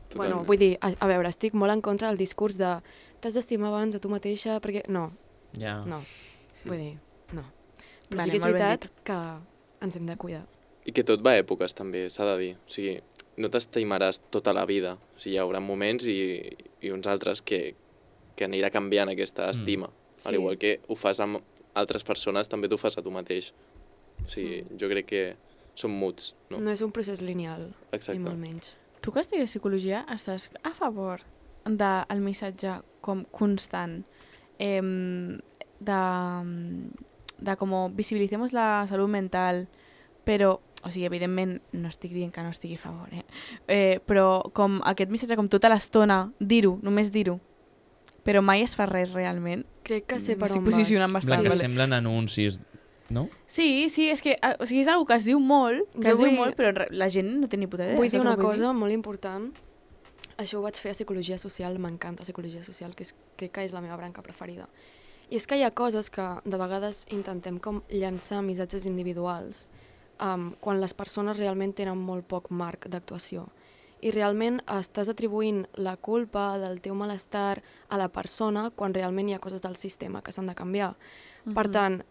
Totalment. Bueno, vull dir, a veure, estic molt en contra del discurs de t'has d'estimar abans a tu mateixa perquè... No, Ja. no. Vull dir, no. Però Vale, sí que és molt ben veritat que ens hem de cuidar. I que tot va a èpoques, també, s'ha de dir. O sigui, no t'estimaràs tota la vida. O sigui, hi haurà moments i uns altres que anirà canviant aquesta estima. Sí. Al igual que ho fas amb altres persones, també t'ho fas a tu mateix. O sigui, jo crec que són muts, no? No és un procés lineal, ni Exacte. molt menys. Tu que estigues psicologia, estàs a favor del missatge com constant de com visibilicemos la salut mental, però, o sigui, evidentment no estic dient que no estigui a favor, però com aquest missatge com tota l'estona, dir-ho, només dir-ho, però mai es fa res realment. Crec que sé per M'estic on vas. posicionant bastant. Que vale. semblen anuncis, no? Sí, és que o sigui, és una que es diu molt, Jo però la gent no té ni puta idea. Vull dir saps una el que cosa molt important. Això ho vaig fer a Psicologia Social, m'encanta Psicologia Social, crec que és la meva branca preferida. I és que hi ha coses que de vegades intentem com llançar missatges individuals quan les persones realment tenen molt poc marc d'actuació. I realment estàs atribuint la culpa del teu malestar a la persona quan realment hi ha coses del sistema que s'han de canviar. Per tant,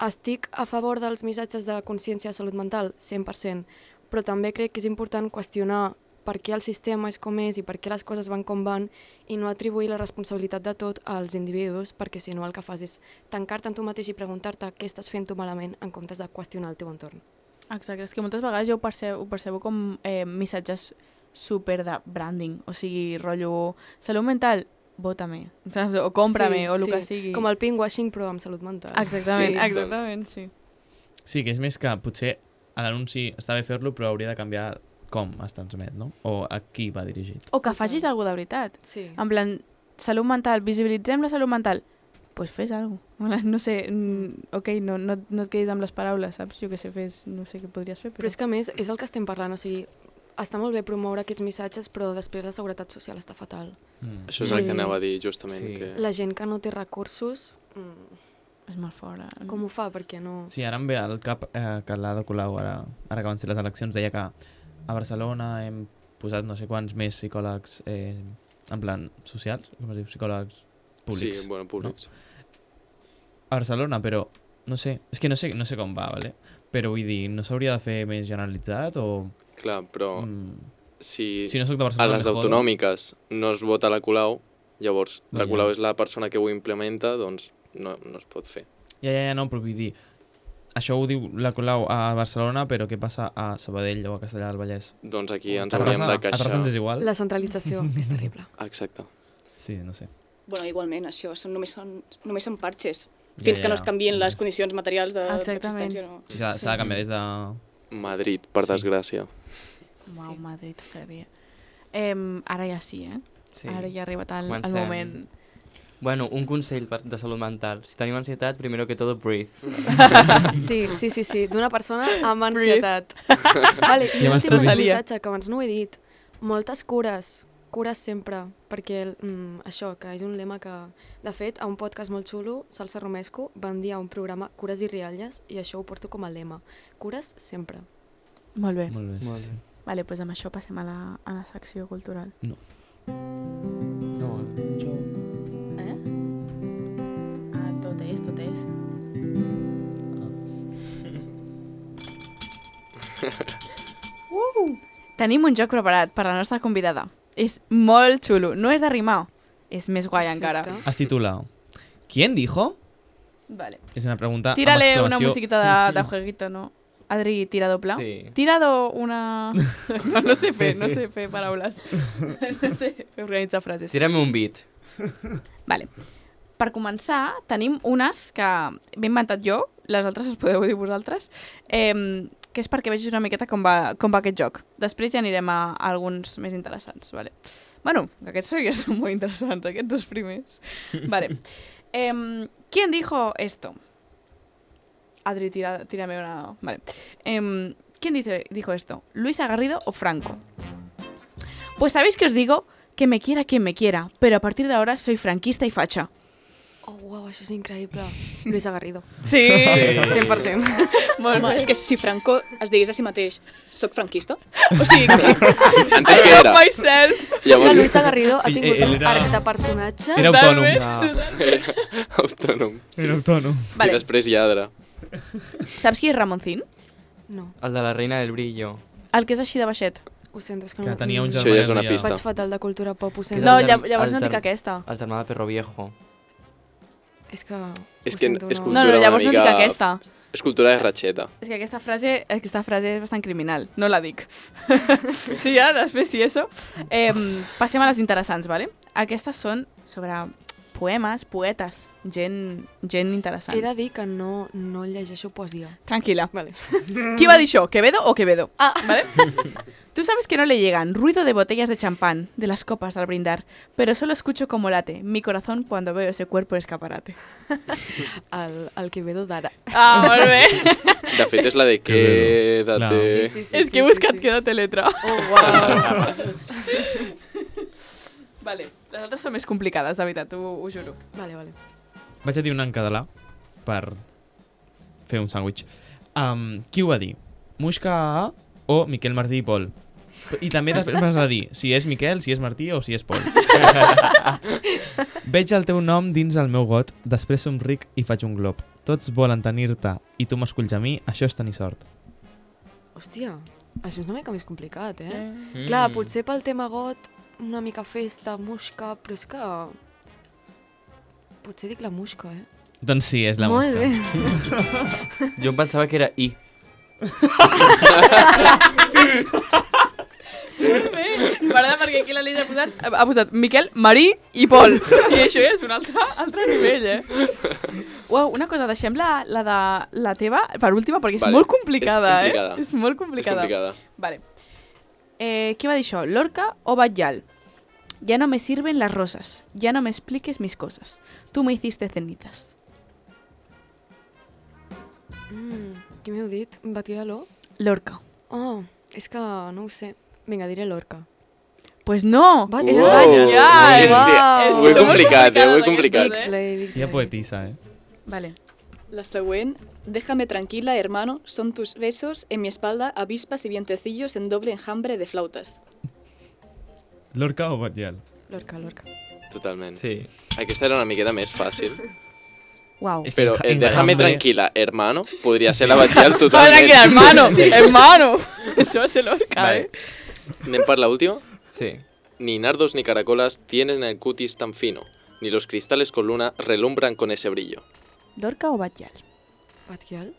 estic a favor dels missatges de consciència de salut mental, 100%, però també crec que és important qüestionar per què el sistema és com és i per què les coses van com van i no atribuir la responsabilitat de tot als individus, perquè si no el que fas és tancar-te en tu mateix i preguntar-te què estàs fent tu malament en comptes de qüestionar el teu entorn. Exacte, és que moltes vegades jo ho percebo com missatges super de branding, o sigui, rotllo salut mental, vota-me, saps? O cómprame, o el que sigui. Com el pinkwashing però amb salut mental. Exactament, Sí. exactament, sí. Sí, que és més que potser a l'anunci està bé fer-lo, però hauria de canviar com es transmet, no? O a qui va dirigit. O que facis alguna de veritat. Sí. En plan, salut mental, visibilitzem la salut mental. Pues fes alguna cosa. No sé, ok, no et quedis amb les paraules, saps? Jo què sé, no sé què podries fer, Però és que a més és el que estem parlant, o sigui, està molt bé promoure aquests missatges, però després la seguretat social està fatal. Això és el que anava a dir, justament. Sí. Que... La gent que no té recursos, És molt fora. com ho fa? Perquè no... Sí, ara em ve al cap que l'Ada Colau, ara que van ser les eleccions, deia que a Barcelona hem posat no sé quants més psicòlegs en plan socials, com es diu, psicòlegs públics. Sí, bueno, públics. No? A Barcelona, però no sé, és que no sé com va, vale? Però vull dir, no s'hauria de fer més generalitzat o... Clar, però Si si no soc de a Barcelona les me jodo. autonòmiques no es vota la Colau, llavors la Ja. Colau és la persona que ho implementa, doncs no es pot fer. Ja, no, però vull dir, això ho diu la Colau a Barcelona, però què passa a Sabadell o a Castellà del Vallès? Doncs aquí ens A hauríem de Terrassa queixar. ens és igual? La centralització és terrible. Exacte. Sí, no sé. Bueno, igualment, això només són parxes. Ja, Fins que ja. no es canvien les condicions materials Exactament. d'existència. No. Sí, s'ha de canviar des de... Madrid, per Sí. desgràcia. Uau, Sí. Madrid, heavy. Ara ja sí, eh? Sí. Ara ja ha arribat el Comencem. moment. Bueno, un consell de salut mental. Si tenim ansietat, primero que todo, breathe. Sí, d'una persona amb ansietat. Vale, i Ja un m'estàs últim dient. missatge, que abans no ho he dit. Moltes cures sempre, perquè això, que és un lema que, de fet, a un podcast molt xulo, Salsa Romesco, van dir a un programa Cures i rialles, i això ho porto com a lema. Cures sempre. Molt bé. Molt bé, Molt sí. bé. Vale, doncs amb això passem a la secció cultural. No, jo... Eh? Ah, tot és. Tenim un joc preparat per la nostra convidada. És molt xulo. No és de rimar. És més guai encara. Perfecte. Es titula ¿Quién dijo? Vale. És una pregunta Tírale amb una exclamació. musiquita de jueguito, no? Adri, tira doble. Sí. Tirado una... no sé fer paraules. No sé organitzar frases. Tírame un beat. Vale. Per començar, tenim unes que m'he inventat jo, les altres us podeu dir vosaltres, que és perquè vegis una miqueta com va aquest joc. Després ja anirem a alguns més interessants. Vale. Bueno, aquests ja són molt interessants, aquests dos primers. Vale. ¿Quién dijo esto? Adri, tírame una... Vale. ¿Quién dijo esto? ¿Luisa Garrido o Franco? Pues sabéis que os digo que me quiera quien me quiera, pero a partir de ahora soy franquista y facha. Oh, uau, això és increïble. Luisa Garrido. Sí. 100%. Molt Home, bé. és que si Franco es digués a si mateix soc franquista, o sigui, que... Antes que era. Myself. És que Llavors, Luisa Garrido ha tingut Ell un era- arc de personatge. Era autònom. autònom. Era autònom. I Vale. després lladre. Saps qui és Ramoncín? No, El de la reina del brillo. El que és així de baixet. ho sento, és que Que no... tenia un Això germà ja és una que pista. Vaig fatal de cultura pop, ho Que sento. és No, el germ- llavors el no dic germ- aquesta. El germà de Perro Viejo. És que... És ho que sento, és no. cultura No, llavors una no dic mica- aquesta. És cultura de ratxeta. És que aquesta frase és bastant criminal. No la dic. Sí, ja, després sí, eso. Passem a les interessants, ¿vale? Aquestes són sobre poemes, poetes, gent interessant. He de dir que no llegeixo poesia. Tranquila. Vale. Qui va dir això? ¿Quevedo o Quevedo? Ah. ¿Vale? Tú sabes que no le llegan ruido de botellas de champán, de las copas al brindar, pero solo escucho como late mi corazón cuando veo ese cuerpo en escaparate. El Quevedo d'ara. Ah, molt bé. De fet, és la de Que bé. quédate... Sí, És que he buscat quédate letra. Oh, uau. Vale, les altres són més complicades, de veritat, ho juro. Vale, vale. Vaig a dir una en català per fer un sàndwich. Qui ho va dir? Muixca o Miquel Martí i Pol? I també després m'has de dir si és Miquel, si és Martí o si és Pol. Veig el teu nom dins el meu got, després somric i faig un glob. Tots volen tenir-te i tu m'esculls a mi, això és tenir sort. Hòstia, això és una mica més complicat, eh? Mm. Clar, potser pel tema got, una mica festa, musca, però és que... Potser dic la musca, eh? Doncs sí, és la Molt mosca. bé. Jo em pensava que era I. M'agrada perquè aquí la Lídia ha posat Miquel, Marí i Pol. I això és un altre nivell, eh? Uau, una cosa, deixem la de la teva per última perquè és Vale, molt complicada, és complicada. eh? És molt És complicada. complicada. Vale. Qui va dir això? Lorca o Batllal? Ya no me sirven las rosas. Ya no me expliques mis cosas. Tú me hiciste cenizas. Qui m'heu dit? Batllal? Lorca. Oh, és que no ho sé. Vinga, diré Lorca. Pues no, Batllal. és Oh, Batllal. és que- Uau. Ho he Són molt complicat, ho he complicades complicat. aquestes, Slay, big Tia slay. poetisa, eh? Vale. La següent, déjame tranquila, hermano, son tus besos en mi espalda, avispas y vientecillos en doble enjambre de flautas. Lorca o Batllal? Lorca, Lorca. Totalment. Sí. Aquesta era una miqueta més fàcil. Wow. És que Però enjambre- déjame tranquila, hermano, podria ser la Batllal Joder, totalment. tranquila, hermano. Hermano. Això és Lorca, Vale. eh? Anem per la última. Sí. Ni nardos ni caracolas tienen el cutis tan fino, ni los cristales con luna relumbran con ese brillo. Lorca o Batllal? Batllal?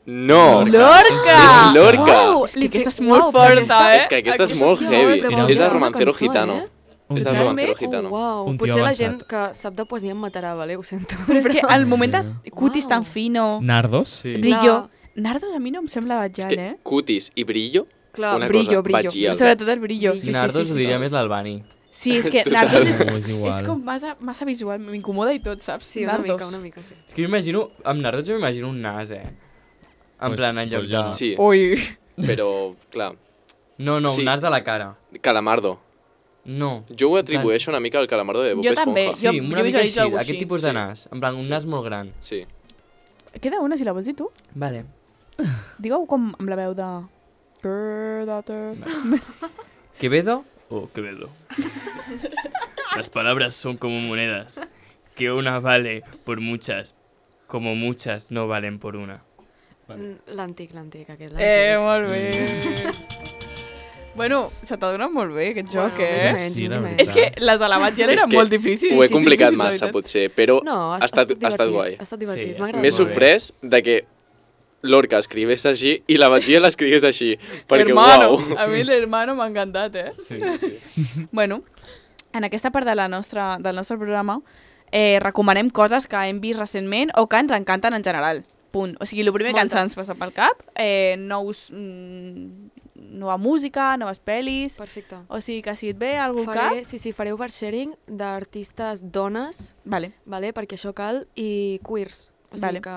No! Lorca! És Lorca! Uau, és que aquesta és Uau, molt però forta, aquesta- eh? És que aquesta és Aquesta molt sí, heavy. però És podria de ser una Romancero cançó, Gitano. eh? És del Totalment. Romancero Gitano. Oh, uau. Un tio Potser la avançat. gent que sap de poesia em matarà, vale? Ho sento. Però és que al moment de cutis Uau. tan fino, Nardos? Sí. brillo... Nardos a mi no em sembla És Batllal, que eh? cutis i brillo, Clar, una brillo, cosa, brillo. Batllal. Sobretot el brillo. Sí, Nardos sí, ho sí, diria sí. més l'Albani. Sí, és que Nardos és, No, és igual. és com massa visual, m'incomoda i tot, saps? Sí, una Nardos. mica, sí. És que m'imagino, amb Nardos jo m'imagino un nas, eh? En Pues- plan, en lloc pues jo de... no. Sí, Ui. però, clar, No, no, Sí. un nas de la cara. Calamardo. No. Jo ho atribueixo una mica al Calamardo de Bob Jo també. Esponja. Sí, Jo una mica visualitzo així, algú aquest així, tipus de sí. nas. En plan, un nas molt gran. Sí. Queda una, si la vols dir tu. Vale. Digue-ho com amb la veu de... Daughter. ¿Quevedo o Quevedo? Las palabras son como monedas, que una vale por muchas, como muchas no valen por una. L'antic, aquest. Molt bé. Bueno, se t'ha donat molt bé aquest joc, Més o eh? menys, Sí, més la o veritat. menys. És que les de la Batllal És eren que molt difícils. Ho he complicat la massa, veritat. potser, però No, ha estat guai. Ha estat divertit, Sí, m'ha ha estat agradat. M'he molt bé. sorprès de que Lorca escrivés així i la Batllal escrigués així. Perquè, Hermano. uau. A mi l'hermano m'ha encantat, eh? Sí. Bueno, en aquesta part del nostre programa recomanem coses que hem vist recentment o que ens encanten en general. Punt. O sigui, el primer que ens passa pel cap, nova música, noves pel·lis... Perfecte. O sigui, que si et ve algun cap... Faré oversharing d'artistes dones, Vale. vale? Perquè això cal, i queers. O sigui Vale. que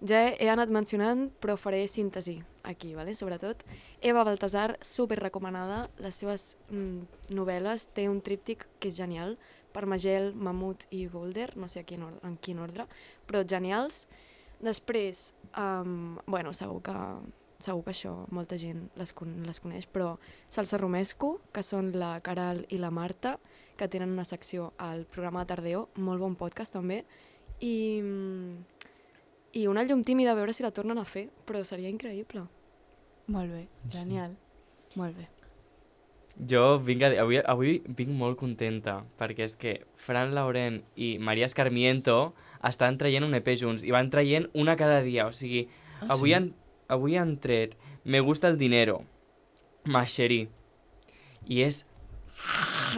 Ja he anat mencionant, però faré síntesi aquí, vale? Sobretot. Eva Baltasar, super recomanada. Les seves novel·les té un tríptic que és genial, Permagel, Mamut i Boulder, no sé en quin ordre, però genials. Després, bueno, segur que això molta gent les coneix, però Salsa Romesco, que són la Caral i la Marta, que tenen una secció al programa de Tardeo, molt bon podcast també, i Una llum tímida, a veure si la tornen a fer, però seria increïble. Molt bé, genial. Molt bé. Jo avui vinc molt contenta, perquè és que Fran Laurent i Maria Escarmiento estan traient un EP junts, i van traient una cada dia, o sigui, avui han tret Me gusta el dinero, Macherí, i és...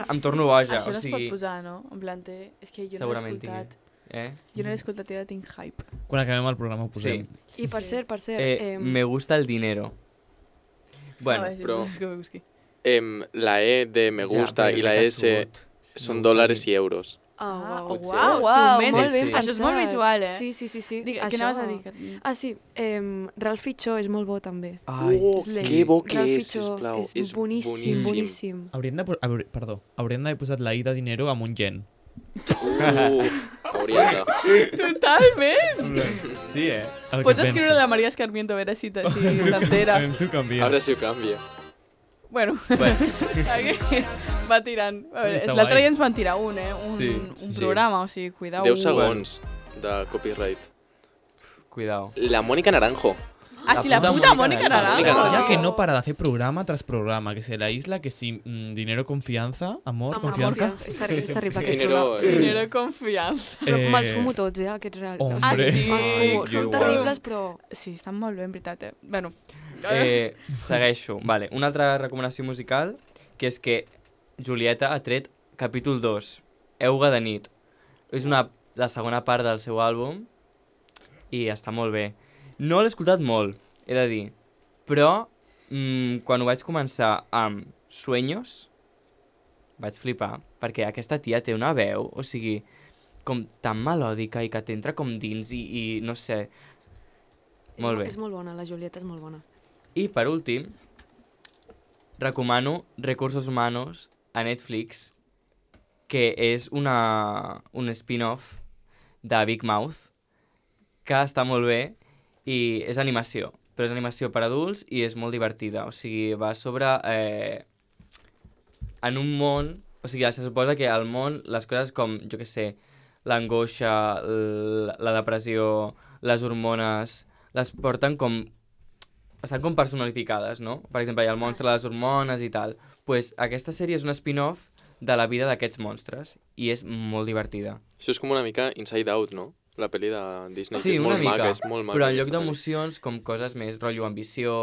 em torno boja, Això o no es sigui... pot posar, no? En plan, és que jo no l'he Segurament escoltat. tingui. Jo no l'he escoltat i ara tinc hype. Quan acabem el programa ho posem. Sí. I per cert... Me gusta el dinero. Bueno, però- És que ho busqui. La E de me gusta i la S són dòlars i euros. Uau, Potser. Uau, molt sí, ben sí. pensat. Això és molt visual, eh? Sí. Digue, què Això- anaves a dir? Ah, sí, Ralph Fichó és molt bo també. ai, Que bo que Ralph és, Fichó sisplau. és boníssim. Haurien d'haver posat la I de dinero amb un yen. Hauríem de... Totalment! sí, Pots escriure la Maria Escarmiento a veure si s'entera. Ens ho canvia. Ara sí ho canvia. Bueno, aquí va tirant. A veure, Està l'altre guai. dia ens van tirar un, eh? Un Sí. programa, o sigui, cuidao. 10 segons de copyright. Cuidao. La Mónica Naranjo. Ah, sí, la puta Mónica Naranjo. Mónica Naranjo. Ya que no para de hacer programa tras programa, que se la isla, que si dinero, confianza, amor, confianza. És terrible aquest Dinero... programa. Dinero confiança. Però me'ls fumo tots, aquests reals. Hombre. Ah, sí? Me'ls fumo. Ai, Són jo terribles, però... Sí, estan molt bé, en veritat, eh? Bueno, Segueixo. Vale. Una altra recomanació musical, que és que Julieta ha tret capítol 2, Euga de nit. És la segona part del seu àlbum i està molt bé. No l'he escoltat molt, he de dir, però quan ho vaig començar amb Sueños vaig flipar, perquè aquesta tia té una veu, o sigui, com tan melòdica i que t'entra com dins i no sé, molt bé. És molt bona, la Julieta és molt bona. I per últim, recomano Recursos Humanos a Netflix, que és un spin-off de Big Mouth, que està molt bé i és animació, però és animació per adults i és molt divertida. O sigui, va sobre... en un món... O sigui, se suposa que al món les coses com, jo què sé, l'angoixa, la depressió, les hormones, les porten com... Estan com personificades, no? Per exemple, hi ha el monstre de les hormones i tal. Pues aquesta sèrie és un spin-off de la vida d'aquests monstres i és molt divertida. Això és com una mica Inside Out, no? La pel·li de Disney, Sí, que és una molt mica, maca, és molt maca. però en lloc aquesta pel·li. d'emocions, com coses més rotllo ambició,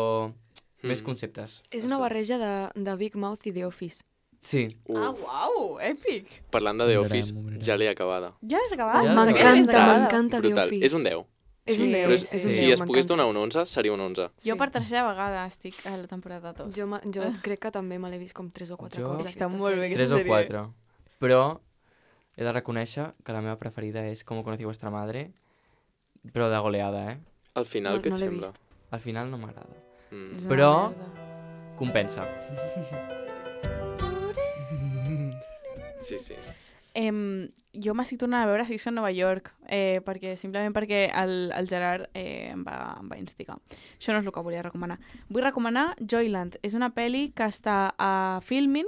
més conceptes. És una barreja de Big Mouth i The Office. Sí. Ah, uau, èpic. Parlant de The Ho Office, mirarem, ho mirarem. ja l'he acabada. Ja has acabat? Ja M'encanta The Brutal. Office. És un 10. És un Sí, 10. Però és un si 10, es pogués m'encanta. donar un 11, seria un 11. Jo per tercera vegada estic a la temporada 2. Jo crec que també me l'he vist com 3 o 4 Jo- cops. Està aquesta molt bé, sèrie. aquesta 3 o sèrie. 4. Però he de reconèixer que la meva preferida és Com conocí vuestra madre, però de goleada, eh? Al final, No- què no et l'he sembla? vist. Al final no m'agrada. Mm. És una Però- merda. Compensa. Sí. Jo m'estic tornant a veure Ficció a Nova York, simplement perquè el Gerard em va instigar. Això no és el que volia recomanar. Vull recomanar Joyland. És una pel·li que està a Filmin,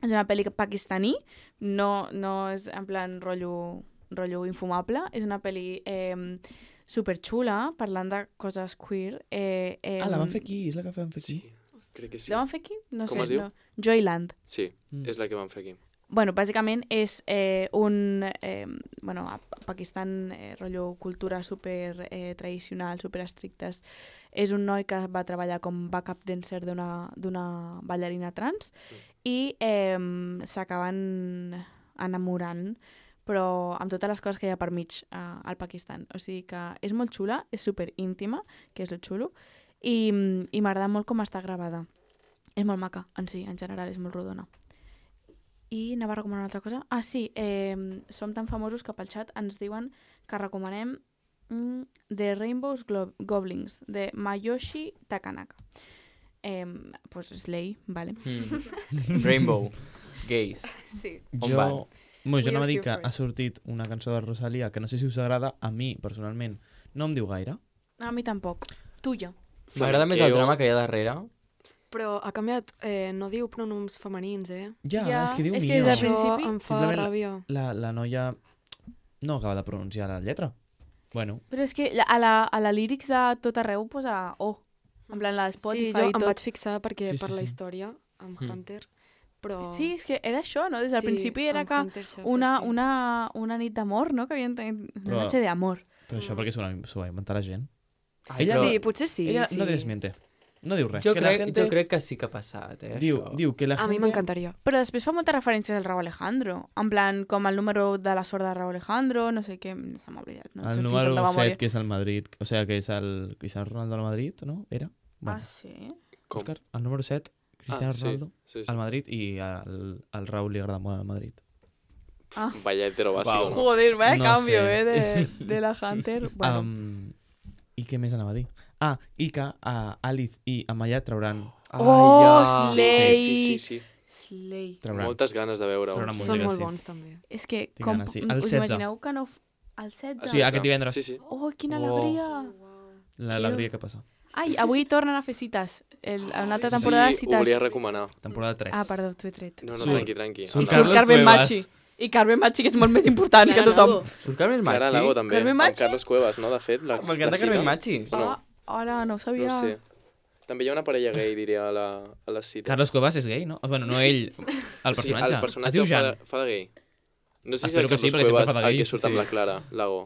és una pel·li pakistaní, no és en plan rotllo infumable, és una pel·li superxula, parlant de coses queer. La van fer aquí, és la que van fer aquí. Sí, crec que sí. La van fer aquí? No Com sé. es diu? No. Joyland. Sí, és la que van fer aquí. Bueno, bàsicament és a Pakistan, rotllo cultura super tradicional, super estrictes. És un noi que va treballar com backup dancer d'una ballarina trans i s'acaben enamorant, però amb totes les coses que hi ha per mig al Pakistan. O sigui que és molt xula, és super íntima, que és lo xulo, i m'agrada molt com està gravada. És molt maca, en general, és molt rodona. I anava a recomanar una altra cosa. Ah, sí, som tan famosos que pel xat ens diuen que recomanem The Rainbow's Goblins, de Mayoshi Takanaka. Pues Slay, vale. Rainbow. Gays. Sí. On van? Jo We anava a are dir here que for it. ha sortit una cançó de Rosalía que no sé si us agrada, a mi, personalment, no em diu gaire. A mi tampoc. Tuya. M'agrada més el drama que hi ha darrere. Però ha canviat, no diu pronoms femenins, Ja, Ja, és que diu és que niño. des del Això principi- em fa Simplement ràbia. La noia no acaba de pronunciar la lletra. Bueno, Però és que a la lírics de tot arreu posa O. En plan, la Spotify Sí, jo i em tot. vaig fixar perquè Sí, sí, per la sí. història amb Mm. Hunter, però... Sí, és que era això, no? Des del principi era amb que Hunter Schafer, una nit d'amor, no? Que havien tenit una Però- noche d'amor. però això perquè s'ho va inventar la gent. Ai, Ella- però Sí, potser sí. Ella sí. no desmiente. No diu res. jo, Que la crec que sí que ha passat, Diu, això. diu que la A mi gente... m'encantaria. Però després fa moltes referències al Raúl Alejandro. En plan, com el número de la sort de Raúl Alejandro, no sé què, se m'ha oblidat. No? El Tinc número tanta memòria. 7, que és el Madrid, o sea, que és el Cristiano Ronaldo al Madrid, no? Era? Ah, sí? Com? Òscar, el número 7, Cristiano Ronaldo sí. al Madrid i al Raúl li agrada molt al Madrid. Vaya hetero bàsico, no? Joder, vaya No cambio, sé. de la Hunter. Bueno, I què més anava a dir? Ah, i que Alice i Amaya trauran... Oh, ja. Slay! Sí. Slay. trauran. Moltes ganes de veure-ho. Trauran molt Són bé, molt sí. bons, també. És que, Tinc com, ganes, sí. El us 16. imagineu que no... El 16? Sí, aquest divendres. Sí. Oh, quina Oh. alegria! L'alegria que passa. Ai, avui tornen a fer cites. Una altra temporada de Sí, ho cites. volia recomanar. Temporada 3. Ah, perdó, t'ho he tret. No, Surt- tranqui. surt I surt Carlos Carmen Cuevas. Machi. I Carmen Machi, que és molt més important que Clara tothom. Lago. Surt Carmen Clara Machi? Lago també, Carmen amb Machi? Carlos Cuevas, no? De fet, la M'encanta cita. Carmen Machi. O no? Ara no ho sabia. No sé. També hi ha una parella gay, diria, a les cites. Carlos Cuevas és gay, no? Bueno, no ell, el personatge. Sí, el Es personatge diu fa Jan. fa de gay. No sé si és Espero el que sí, Carlos perquè sempre Cuevas fa de el gay, que surt amb sí. la Clara Lago.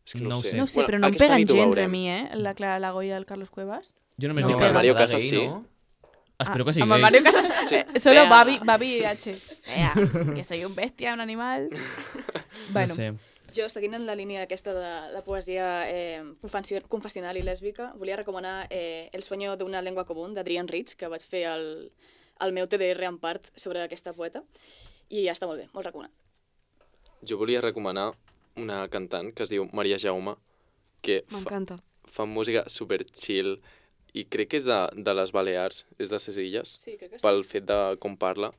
És que no ho sé. No ho sé, però no em aquesta peguen nit ho gens a veurem. mi, la Clara Lago i el Carlos Cuevas. Jo només No, dic el que... Mario Fa de Casas gay, sí. no? Espero que sigui Amb el gay. Mario Casas, Sí. solo Vea. Babi H. Que soy un bestia, un animal. Bueno, No sé. Jo, seguint en la línia aquesta de la poesia confessional i lèsbica, volia recomanar El sueño de una lengua común, d'Adrienne Rich, que vaig fer el meu TDR en part sobre aquesta poeta, i està molt bé, molt recomanat. Jo volia recomanar una cantant que es diu Maria Jaume, que M'encanta. fa música super chill i crec que és de les Balears, és de ses illes, Sí, crec que sí. pel fet de com parla,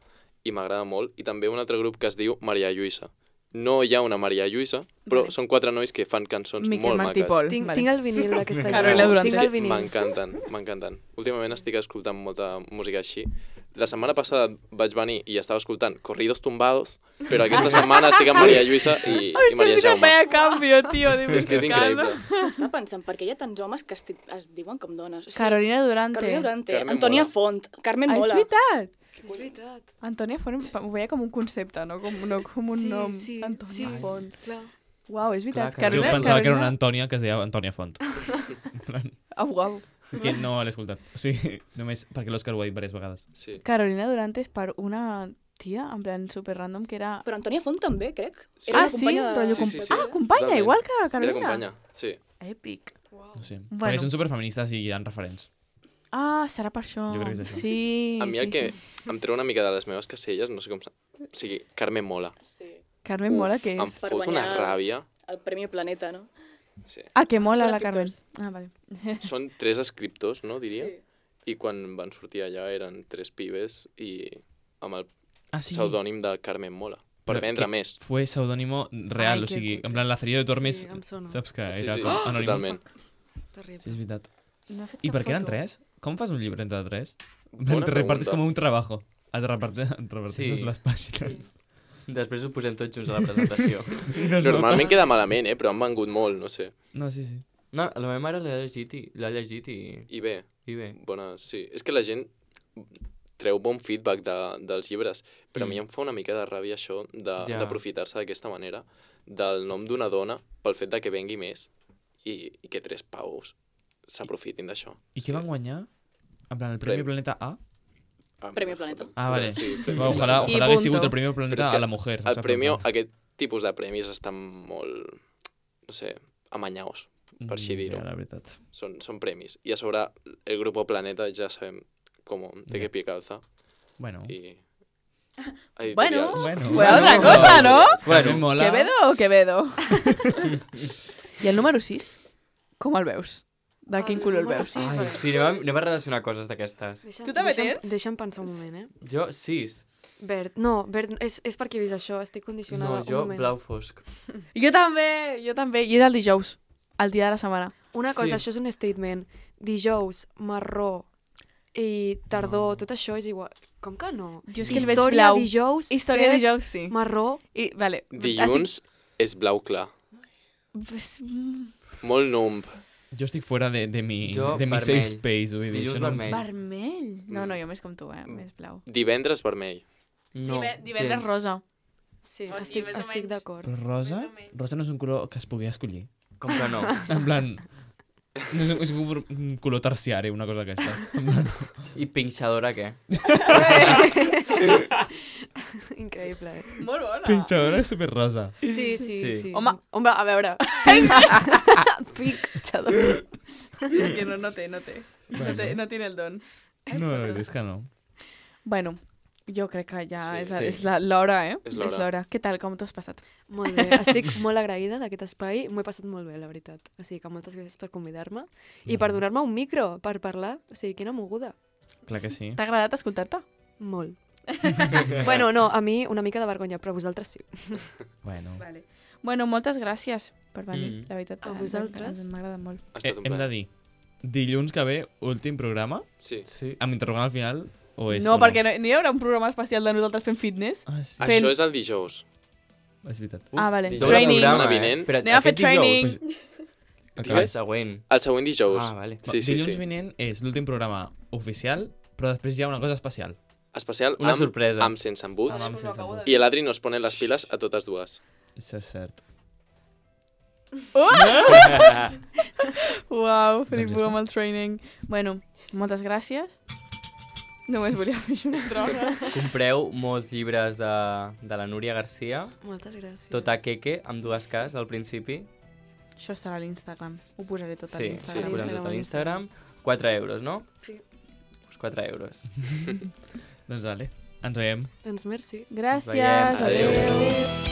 i m'agrada molt. I també un altre grup que es diu Maria Lluïsa. No hi ha una Maria Lluïsa, però Vale. són 4 nois que fan cançons Miquel molt Martí maques. Pol. Tinc, Vale. tinc el vinil d'aquesta Carolina gent. Durante. Tinc És el que vinil. m'encanten. Últimament estic escoltant molta música així. La setmana passada vaig venir i estava escoltant Corridos Tumbados, però aquesta setmana estic amb Maria Lluïsa i Maria Jaume. vaya cambio, tío. De És que és increïble. Estava pensant, perquè hi ha tants homes que es diuen com dones. O sigui, Carolina Durante. Carolina Durante, Carmen Antònia Mola. Font, Carmen Ah, és Mola. veritat. És veritat. Antònia Font ho veia com un concepte, no com un Sí, nom. sí, Antònia sí. Font. Clar. Uau, és veritat. Clar, Jo Carolina- pensava que era una Antònia que es deia Antònia Font. Uau. És que no l'he escoltat. O sigui, només perquè l'Òscar ho ha dit diverses vegades. Sí. Carolina Durante és per una tia, en plan super random, que era... Però Antònia Font també, crec. Sí. Era Ah, una sí? companya de- Rotllo Sí, sí, sí. Ah, companya, Totalment. igual que Era Carolina. companya, sí. Èpic. No sé. Bueno. Perquè són superfeministes i hi ha referents. Ah, serà per això. Jo crec que és això. Sí, A mi sí, el que sí. em treu una mica de les meves caselles, no sé com... O sigui, Carmen Mola. Sí. Carmen Mola, què Em és? Per fot una guanyar- ràbia. El Premi Planeta, no? Sí. Ah, que mola Són la Carmen. escriptors. Ah, vale. Són 3 escriptors, no, diria? Sí. I quan van sortir allà eren 3 pibes i amb el Ah, sí. pseudònim de Carmen Mola. Per Però vendre que més. Fue pseudónimo real, Ai, o que sigui, cutre. en plan, Lazarillo de Tormes, Sí, em sona. saps que Sí, era sí, com anònim. totalment. Terrible. Sí, és veritat. No he fet I cap per què eren foto. 3? Com fas un llibre entre 3? Bona Te repartes pregunta. com un trabajo. Et repartes Sí. les pàgines. Després ho posem tots junts a la presentació. Normalment queda malament, però han vengut molt, no sé. No, sí, sí. No, la meva mare l'ha llegit i I bé, bé. bona, sí. És que la gent treu bon feedback dels llibres, però a mi em fa una mica de ràbia això Ja. d'aprofitar-se d'aquesta manera del nom d'una dona pel fet de que vengui més i que 3 paus s'aprofitin d'això. I què van guanyar? En plan, el Premi Premi. Planeta A? Premi Planeta. Ah, vale. Sí, Va, ojalà I hagués punto. sigut el Premi Però Planeta és que a la mujer. el saps? premi, En plan, aquest tipus de premis estan molt, no sé, amanyaus, per així dir-ho. Ja, la veritat. Són premis. I a sobre, el Grupo Planeta ja sabem de què pie calza. Bueno. I... Bueno, editorials. fue otra cosa, ¿no? Bueno, Carmen Mola. ¿Quevedo o Quevedo? I el número 6, com el veus? De quin color el veus? Ai, sí, anem a relacionar coses d'aquestes. Tu també tens? Deixa'm pensar un moment, Jo, 6. Verd. No, verd és perquè he vist això, estic condicionada. No, jo, un moment. blau fosc. Jo també. I és el dijous, el dia de la setmana. Una cosa, Sí. això és un statement. Dijous, marró i tardor, tot això és igual. Com que no? Jo és que el veig Història, blau. dijous, Història set, dijous, sí. marró. I, vale. Dilluns és blau clar. Molt numb. Jo estic fora de mi Jo, safe vermell. space, vull dir. Dilluns això no- vermell. Vermell? No, jo més com tu, més blau. Divendres vermell. No, Divendres gens. rosa. Sí, O sigui, estic, més o estic menys. d'acord. Però rosa? Més o menys. Rosa no és un color que es pugui escollir. Com que no? En plan... No és un color terciari, una cosa aquesta. En plan... I pinxadora, què? Increïble, Molt bona. Pinxadora és superrosa. Sí, sí, Sí. sí. Home, a veure. Pinxador. És que no té. No tiene el don. No, és que no. Bueno, jo crec que ja Sí, és sí. l'hora, eh? És l'hora. Què tal, com t'ho has passat? Molt bé, estic molt agraïda d'aquest espai, m'ho he passat molt bé, la veritat. O sigui que moltes gràcies per convidar-me i per donar-me un micro per parlar. O sigui, quina moguda. Clar que sí. T'ha agradat escoltar-te? Molt. Bueno, no, a mi una mica de vergonya, però vosaltres sí. Bueno. Bueno, moltes gràcies per venir, la veritat. A vosaltres. M'ha agradat molt. Ha estat un Hem de plaer. dir, dilluns que ve, últim programa, Sí. Sí. amb interrogant al final, o és... No, o perquè no hi haurà un programa especial de nosaltres fent fitness. Ah, sí. Fent- Això és el dijous. És veritat. Ah, vale. dijous. Training. Setmana vinent. Però Anem a fer aquest dijous? training. El Digues? següent. El següent dijous. Ah, vale. Sí, sí, Dilluns sí. vinent és l'últim programa oficial, però després hi ha una cosa especial. Especial Una amb, sorpresa. amb sense embuts. Amb sense embut. I l'Adri nos pone les piles a totes dues. Això és cert. Uau, flipo això. amb el training. Bueno, moltes gràcies. Només volia fer això una altra vegada. Compreu molts llibres de la Núria Garcia, Moltes gràcies. tot a Keke, amb dues Ks al principi. Això estarà a l'Instagram. Ho posaré tot a Sí, sí, l'Instagram. posem tot a l'Instagram. 4 euros, no? Sí. Pues 4 euros. Doncs vale, ens veiem. Doncs merci. Gràcies. Veiem. Adéu. Adéu.